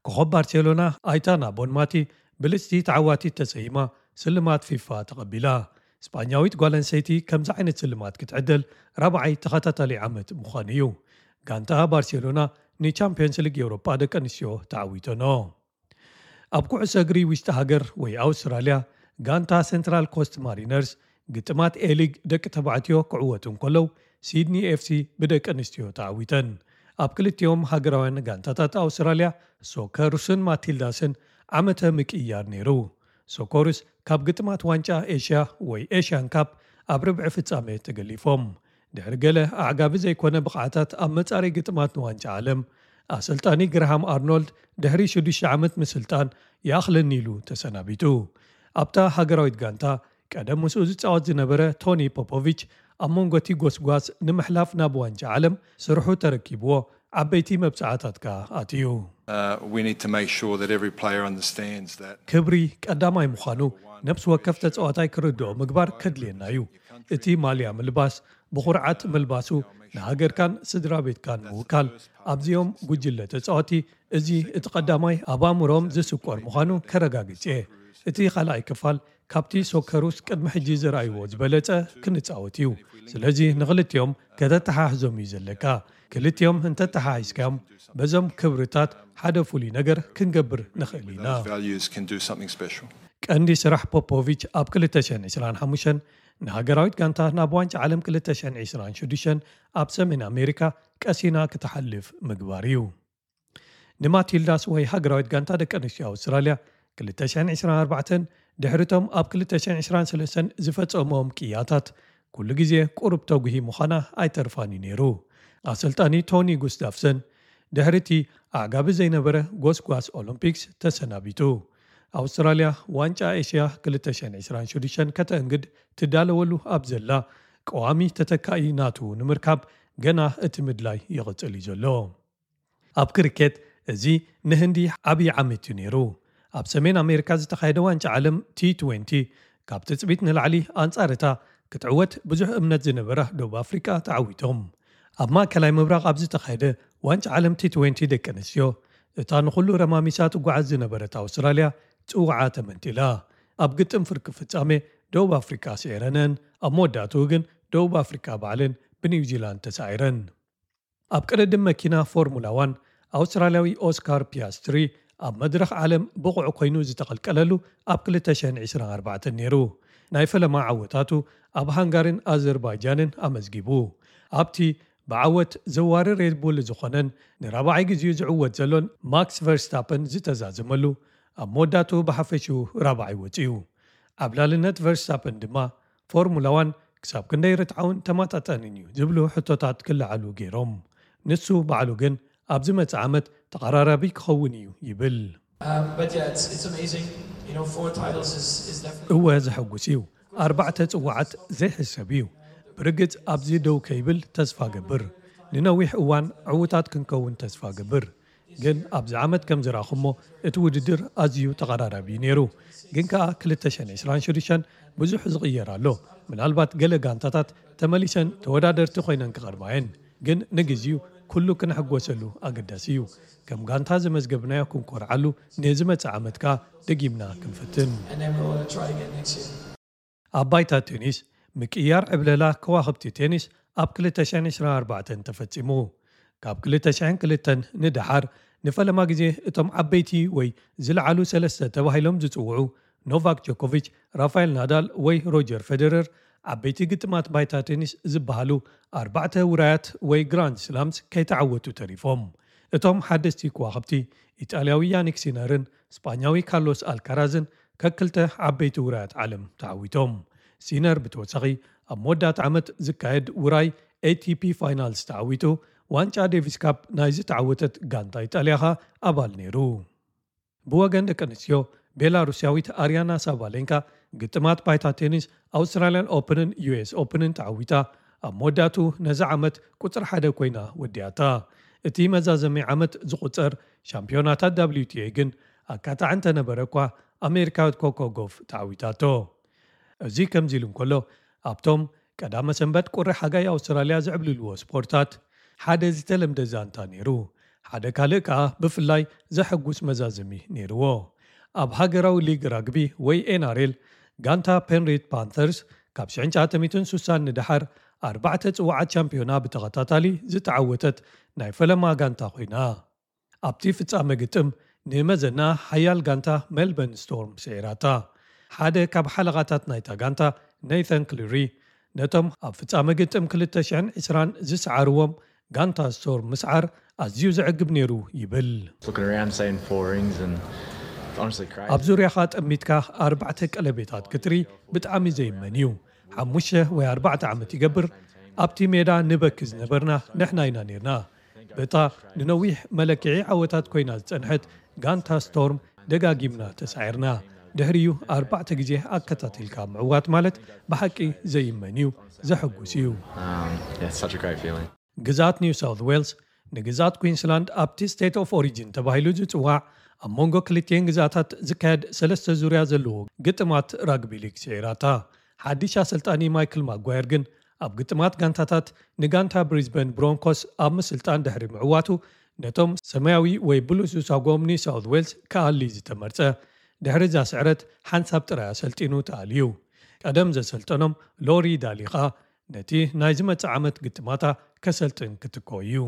ኮኸብ ባርሴሎና ኣይታና ቦንማቲ ብልጽቲ ተዓዋቲት ተሰይማ ስልማት ፊፋ ተቐቢላ። ስጳኛዊት ጓል ኣንስተይቲ ከምዚ ዓይነት ስልማት ክትዕደል ራብዓይ ተኸታታሊ ዓመት ምዃኑ እዩ። ጋንታ ባርሴሎና ንቻምፒዮንስ ሊግ ኤውሮጳ ደቂ ኣንስትዮ ተዓዊተንኦ። ኣብ ኩዕሶ እግሪ ውሽጢ ሃገር ወይ ኣውስትራልያ፣ ጋንታ ሴንትራል ኮስት ማሪነርስ ግጥማት ኤሊግ ደቂ ተባዕትዮ ክዕወቱ እንከለዉ፣ ሲድኒ ኤፍሲ ብደቂ ኣንስትዮ ተዓዊተን። ኣብ ክልቲኦም ሃገራውያን ጋንታታት ኣውስትራልያ፣ ሶከሩስን ማቲልዳስን ዓመተ ምቅይያር ነይሩ። ሶከሩስ ካብ ግጥማት ዋንጫ ኤሽያ ወይ ኤሽያን ካፕ ኣብ ርብዒ ፍጻሜ ተገሊፎም። ድሕሪ ገለ ኣዕጋቢ ዘይኮነ ብቕዓታት ኣብ መጻረይ ግጥማት ንዋንጫ ዓለም፣ ኣሰልጣኒ ግራሃም ኣርኖልድ ድሕሪ ሽዱሽተ ዓመት ምስልጣን ይኣኽለኒ ኢሉ ተሰናቢቱ። ኣብታ ሃገራዊት ጋንታ ቀደም ምስኡ ዝጻወት ዝነበረ ቶኒ ፖፖቪች ኣብ መንጎ እቲ ጎስጓስ ንምሕላፍ ናብ ዋንጫ ዓለም ስርሑ ተረኪብዎ ዓበይቲ መብጽዓታት ከኣ ኣትዩ። Uh, we need to make sure that every player understands that ክብሪ ቀዳማይ ምዃኑ ነፍሲ ወከፍ ተጻዋታይ ክርድኦ ምግባር ከድልየና እዩ። እቲ ማልያ ምልባስ፣ ብኹርዓት ምልባሱ፣ ንሃገርካን ስድራ ቤትካን ምውካል፣ ኣብዚኦም ጉጅለ ተጻወቲ እዚ እቲ ቀዳማይ ኣብ ኣእምሮኦም ዝስቆር ምዃኑ ከረጋግጽ እየ። እቲ ካልኣይ ክፋል ካብቲ ሶከሩስ ቅድሚ ሕጂ ዝረኣይዎ ዝበለጸ ክንጻወት እዩ። ስለዚ ንኽልቲኦም ከተተሓሕዞም እዩ ዘለካ። ክልቲኦም እንተተሓሒዝካዮም በዞም ክብርታት ሓደ ፍሉይ ነገር ክንገብር ንኽእል ኢና። Those values can do something special. ቀንዲ ስራሕ ፖፖቪች ኣብ ክልተ ሽሕን ዕስራን ሓሙሽተን ንሃገራዊት ጋንታ ናብ ዋንጫ ዓለም ክልተ ሽሕን ዕስራን ሽዱሽተን ኣብ ሰሜን ኣሜሪካ ቀሲና ክትሓልፍ ምግባር እዩ። ንማቲልዳስ ወይ ሃገራዊት ጋንታ ደቂ ኣንስትዮ ኣውስትራልያ ክልተ ሽሕን ዕስራን ኣርባዕተን ድሕሪቶም ኣብ ክልተ ሽሕን ዕስራን ሰለስተን ዝፈጸሞም ቅያታት ኩሉ ግዜ ቁሩብ ተጉሂ ምዃና ኣይተርፋን እዩ ነይሩ። ኣሰልጣኒ ቶኒ ጉስታፍሰን ድሕሪ እቲ ኣዕጋቢ ዘይነበረ ጎስጓስ ኦሎምፒክስ ተሰናቢቱ። ኣውስትራልያ ዋንጫ ኤሽያ ክልተ ሽሕን ዕስራን ሽዱሽተን ከተእንግድ ትዳለወሉ ኣብ ዘላ ቀዋሚ ተተካኢ ናቱ ንምርካብ ገና እቲ ምድላይ ይቕጽል እዩ ዘሎ። ኣብ ክሪኬት እዚ ንህንዲ ዓብዪ ዓመት እዩ ነይሩ። ኣብ ሰሜን ኣሜሪካ ዝተኻየደ ዋንጫ ዓለም ቲ ትዌንቲ ካብ ትጽቢት ንላዕሊ ኣንጻር እታ ክትዕወት ብዙሕ እምነት ዝነበራ ደቡብ ኣፍሪቃ ተዓዊቶም። ኣብ ማእከላይ ምብራቕ ኣብ ዝተኻየደ ዋንጫ ዓለም ቲ ትዌንቲ ደቂ ኣንስትዮ እታ ንኹሉ ረማሚሳ ትጓዓዝ ዝነበረት ኣውስትራልያ ጽውዓ ተመንጢላ። ኣብ ግጥም ፍርቂ ፍጻሜ ደቡብ ኣፍሪቃ ስዒረነን፣ ኣብ መወዳእትኡ ግን ደቡብ ኣፍሪቃ ባዕለን ብኒውዚላንድ ተሳዒረን። ኣብ ቅድድም መኪና ፎርሙላ ዋን ኣውስትራልያዊ ኦስካር ፒያስትሪ ኣብ መድረኽ ዓለም ብቑዕ ኮይኑ ዝተቐልቀለሉ ኣብ ክልተ ሽሕን ዕስራን ኣርባዕተን ነይሩ። ናይ ፈለማ ዓወታቱ ኣብ ሃንጋሪን ኣዘርባይጃንን ኣመዝጊቡ። ኣብቲ ብዓወት ዘዋሪ ሬድቡል ዝኾነን ንራብዓይ ግዜኡ ዝዕወት ዘሎን ማክስ ቨርስታፐን ዝተዛዘመሉ ኣብ መወዳእትኡ ብሓፈሽኡ ራብዓይ ወጺኡ። ዓብላልነት ቨርስታፐን ድማ ፎርሙላ ዋን ክሳብ ክንደይ ርትዓውን ተመጣጣንን እዩ ዝብሉ ሕቶታት ክለዓሉ ገይሮም። ንሱ ባዕሉ ግን ኣብዚ መጽእ ዓመት ተቐራራቢ ክኸውን እዩ ይብል። Um, but yeah, it's, it's amazing. You know, four titles is, is definitely. እወ ዘሐጉስ እዩ። ኣርባዕተ ጽዋዓት ዘይሕሰብ እዩ። ብርግጽ ኣብዚ ደው ከይብል ተስፋ ገብር። ንነዊሕ እዋን ዕውታት ክንከውን ተስፋ ገብር። ግን ኣብዚ ዓመት ከም ዝረኣኹሞ እቲ ውድድር ኣዝዩ ተቐራራቢ እዩ ነይሩ። ግን ከኣ ክልተ ሽሕን ዕስራን ሽዱሽተን ብዙሕ ዝቕየር ኣሎ። ምናልባት ገለ ጋንታታት ተመሊሰን ተወዳደርቲ ኮይነን ክቐርባ እየን። ግን ንግዚኡ ኩሉ ክነሕጎሰሉ ኣገዳሲ እዩ። ከም ጋንታ ዘመዝገብናዮ ክንኮርዓሉ፣ ንዝመጽእ ዓመት ከኣ ደጊምና ክንፍትን። And then we'll uh, try again next year. ኣብ ባይታ ቴኒስ ምቅያር ዕብለላ ከዋኽብቲ ቴኒስ ኣብ ክልተ ሽሕን ዕስራን ኣርባዕተን ተፈጺሙ። ካብ ክልተ ሽሕን ክልተን ንደሓር ንፈለማ ግዜ እቶም ዓበይቲ ወይ ዝለዓሉ ሰለስተ ተባሂሎም ዝጽውዑ ኖቫክ ጆኮቪች፣ ራፋኤል ናዳል ወይ ሮጀር ፌደረር ዓበይቲ ግጥማት ባይታ ቴኒስ ዝበሃሉ ኣርባዕተ ውራያት ወይ ግራንድ ስላምስ ከይተዓወቱ ተሪፎም። እቶም ሓደስቲ ከዋኽብቲ ኢጣልያዊ ያኒክ ሲነርን ስጳኛዊ ካርሎስ ኣልካራዝን ከክልተ ዓበይቲ ውራያት ዓለም ተዓዊቶም። ሲነር ብተወሳኺ ኣብ መወዳእታ ዓመት ዝካየድ ውራይ ኤቲፒ ፋይናልስ ተዓዊቱ፣ ዋንጫ ዴቪስ ካፕ ናይ ዝተዓወተት ጋንታ ኢጣልያ ኸኣ ኣባል ነይሩ። ብወገን ደቂ ኣንስትዮ፣ ቤላሩስያዊት ኣርያና ሳባሌንካ ግጥማት ባይታ ቴኒስ ኣውስትራልያን ኦፕንን ዩኤስ ኦፕንን ተዓዊታ፣ ኣብ መወዳእቱ ነዚ ዓመት ቁጽሪ ሓደ ኮይና ወዲኣታ። እቲ መዛዘሚ ዓመት ዝቑጸር ሻምፒዮናታት ዳብሊዩቲኤ ግን ኣካታዕ እንተነበረ እኳ፣ ኣሜሪካዊት ኮኮ ጎፍ ተዓዊታቶ። እዚ ከምዚ ኢሉ እንከሎ፣ ኣብቶም ቀዳመ ሰንበት ቁሪ ሓጋይ ኣውስትራልያ ዝዕብልልዎ ስፖርታት ሓደ ዝተለምደ ዛንታ ነይሩ። ሓደ ካልእ ከኣ ብፍላይ ዘሐጉስ መዛዘሚ ነይርዎ። ኣብ ሃገራዊ ሊግ ራግቢ ወይ ኤንኣርኤል፣ ጋንታ ፔንሪት ፓንተርስ ካብ ሽሕን ትሽዓተ ሚእትን ስሳን ንደሓር ኣርባዕተ ጽዋዓት ቻምፒዮና ብተኸታታሊ ዝተዓወተት ናይ ፈለማ ጋንታ ኮይና። ኣብቲ ፍጻመ ግጥም ንመዘና ሓያል ጋንታ ሜልበርን ስቶርም ስዒራታ። ሓደ ካብ ሓለቓታት ናይታ ጋንታ ኔተን ክሊሪ ነቶም ኣብ ፍጻመ ግጥም ክልተ ሽሕን ዕስራን ዝሰዓርዎም ጋንታ ስቶርም ምስዓር ኣዝዩ ዘዕግብ ነይሩ ይብል። Looking around, seeing four rings, and it's honestly crazy. ኣብ ዙርያኻ ጠሚትካ ኣርባዕተ ቀለቤታት ክትሪ ብጣዕሚ ዘይመን እዩ። ሓሙሽተ ወይ ኣርባዕተ ዓመት ይገብር ኣብቲ ሜዳ ንበኪ ዝነበርና ንሕና ኢና ነርና። በታ ንነዊሕ መለክዒ ዓወታት ኮይና ዝጸንሐት ጋንታ ስቶርም ደጋጊምና ተሳዒርና። ድሕሪኡ ኣርባዕተ ግዜ ኣከታቲልካ ምዕዋት ማለት ብሓቂ ዘይመን እዩ፣ ዘሐጉስ እዩ። Um, yeah, it's such a great feeling. ግዝኣት ኒው ሳውት ዌልስ ንግዝኣት ኩዊንስላንድ ኣብቲ ስቴት ኦፍ ኦሪጂን ተባሂሉ ዝጽዋዕ ኣብ መንጎ ክልቲኤን ግዝኣታት ዝካየድ ሰለስተ ዙርያ ዘለዎ ግጥማት ራግቢ ሊግ ስዒራታ። ሓድሽ ኣሰልጣኒ ማይክል ማጓየር ግን ኣብ ግጥማት ጋንታታት ንጋንታ ብሪዝበን ብሮንኮስ ኣብ ምስልጣን ድሕሪ ምዕዋቱ ነቶም ሰማያዊ ወይ ብሉስ ዝሳጎም ኒው ሳውት ዌልስ ክኣሊ ዝተመርጸ። ድሕሪ እዛ ስዕረት ሓንሳብ ጥራይ ኣሰልጢኑ ተኣልዩ። ቀደም ዘሰልጠኖም ሎሪ ዳሊ ኸኣ ነቲ ናይ ዝመጽእ ዓመት ግጥማታ ከሰልጥን ክትኮ እዩ።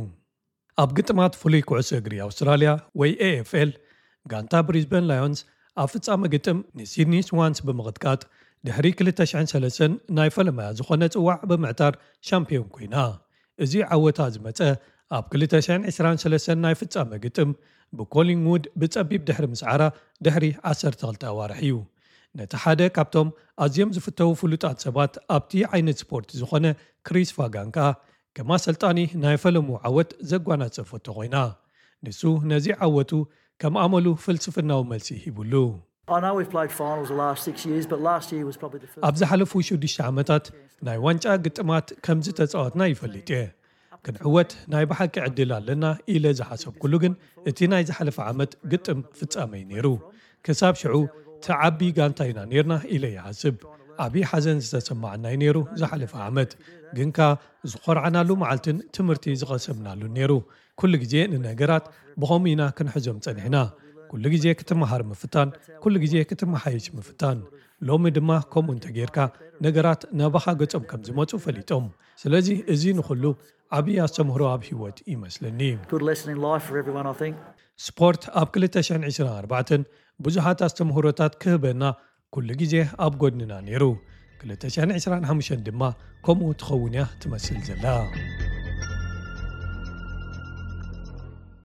ኣብ ግጥማት ፍሉይ ኩዕሶ እግሪ ኣውስትራልያ ወይ ኤኤፍኤል ጋንታ ብሪዝበን ላዮንስ ኣብ ፍጻመ ግጥም ንሲድኒ ስዋንስ ብምቕጥቃጥ ድሕሪ ክልተ ሽሕን ሰለስተን ናይ ፈለማያ ዝኾነ ጽዋዕ ብምዕታር ሻምፒዮን ኮይና። እዚ ዓወታ ዝመጸ ኣብ ክልተ ሽሕን ዕስራን ሰለስተን ናይ ፍጻመ ግጥም ብኮሊንግውድ ብጸቢብ ድሕሪ ምስዓራ ድሕሪ ዓሰርተ ክልተ ኣዋርሕ እዩ። ነቲ ሓደ ካብቶም ኣዝዮም ዝፍተዉ ፍሉጣት ሰባት ኣብቲ ዓይነት ስፖርት ዝኾነ ክሪስ ፋጋን ከኣ ከም ኣሰልጣኒ ናይ ፈለሙ ዓወት ዘጓናጸፈቶ ኮይና። ንሱ ነዚ ዓወቱ ከም ኣመሉ ፍልስፍናዊ መልሲ ሂቡሉ። I know we've played finals the last six years, but last year was probably the first. ኣብ ዝሓለፉ ሽዱሽተ ዓመታት ናይ ዋንጫ ግጥማት ከም ዝተጻወትና ይፈልጥ እየ። ክንዕወት ናይ ብሓቂ ዕድል ኣለና ኢለ ዝሓሰብኩሉ ግን እቲ ናይ ዝሓለፈ ዓመት ግጥም ፍጻመ እዩ ነይሩ። ክሳብ ሽዑ ተዓቢ ጋንታ ኢና ነርና ኢለ ይሓስብ። ዓቢ ሓዘን ዝተሰማዓና እዩ ነይሩ ዝሓለፈ ዓመት። ግንካ ዝኾርዓናሉ መዓልትን ትምህርቲ ዝቐሰምናሉ ነይሩ። ኩሉ ግዜ ንነገራት ብኸምኡ ኢና ክንሕዞም ጸኒሕና። ኩሉ ግዜ ክትመሃር ምፍታን፣ ኩሉ ግዜ ክትመሓየሽ ምፍታን። ሎሚ ድማ ከምኡ እንተጌርካ ነገራት ናባኻ ገጾም ከም ዝመጹ ፈሊጦም። ስለዚ እዚ ንኹሉ ዓቢ ኣስተምህሮ ኣብ ህይወት ይመስለኒ። Good lesson in life for everyone, I think. ስፖርት ኣብ ክልተ ሽሕን ዕስራን ኣርባዕተን ብዙሓት ኣስተምህሮታት ክህበና ኩሉ ግዜ ኣብ ጎድንና ነይሩ። ክልተ ሽሕን ዕስራን ሓሙሽተን ድማ ከምኡ ትኸውን እያ ትመስል ዘላ።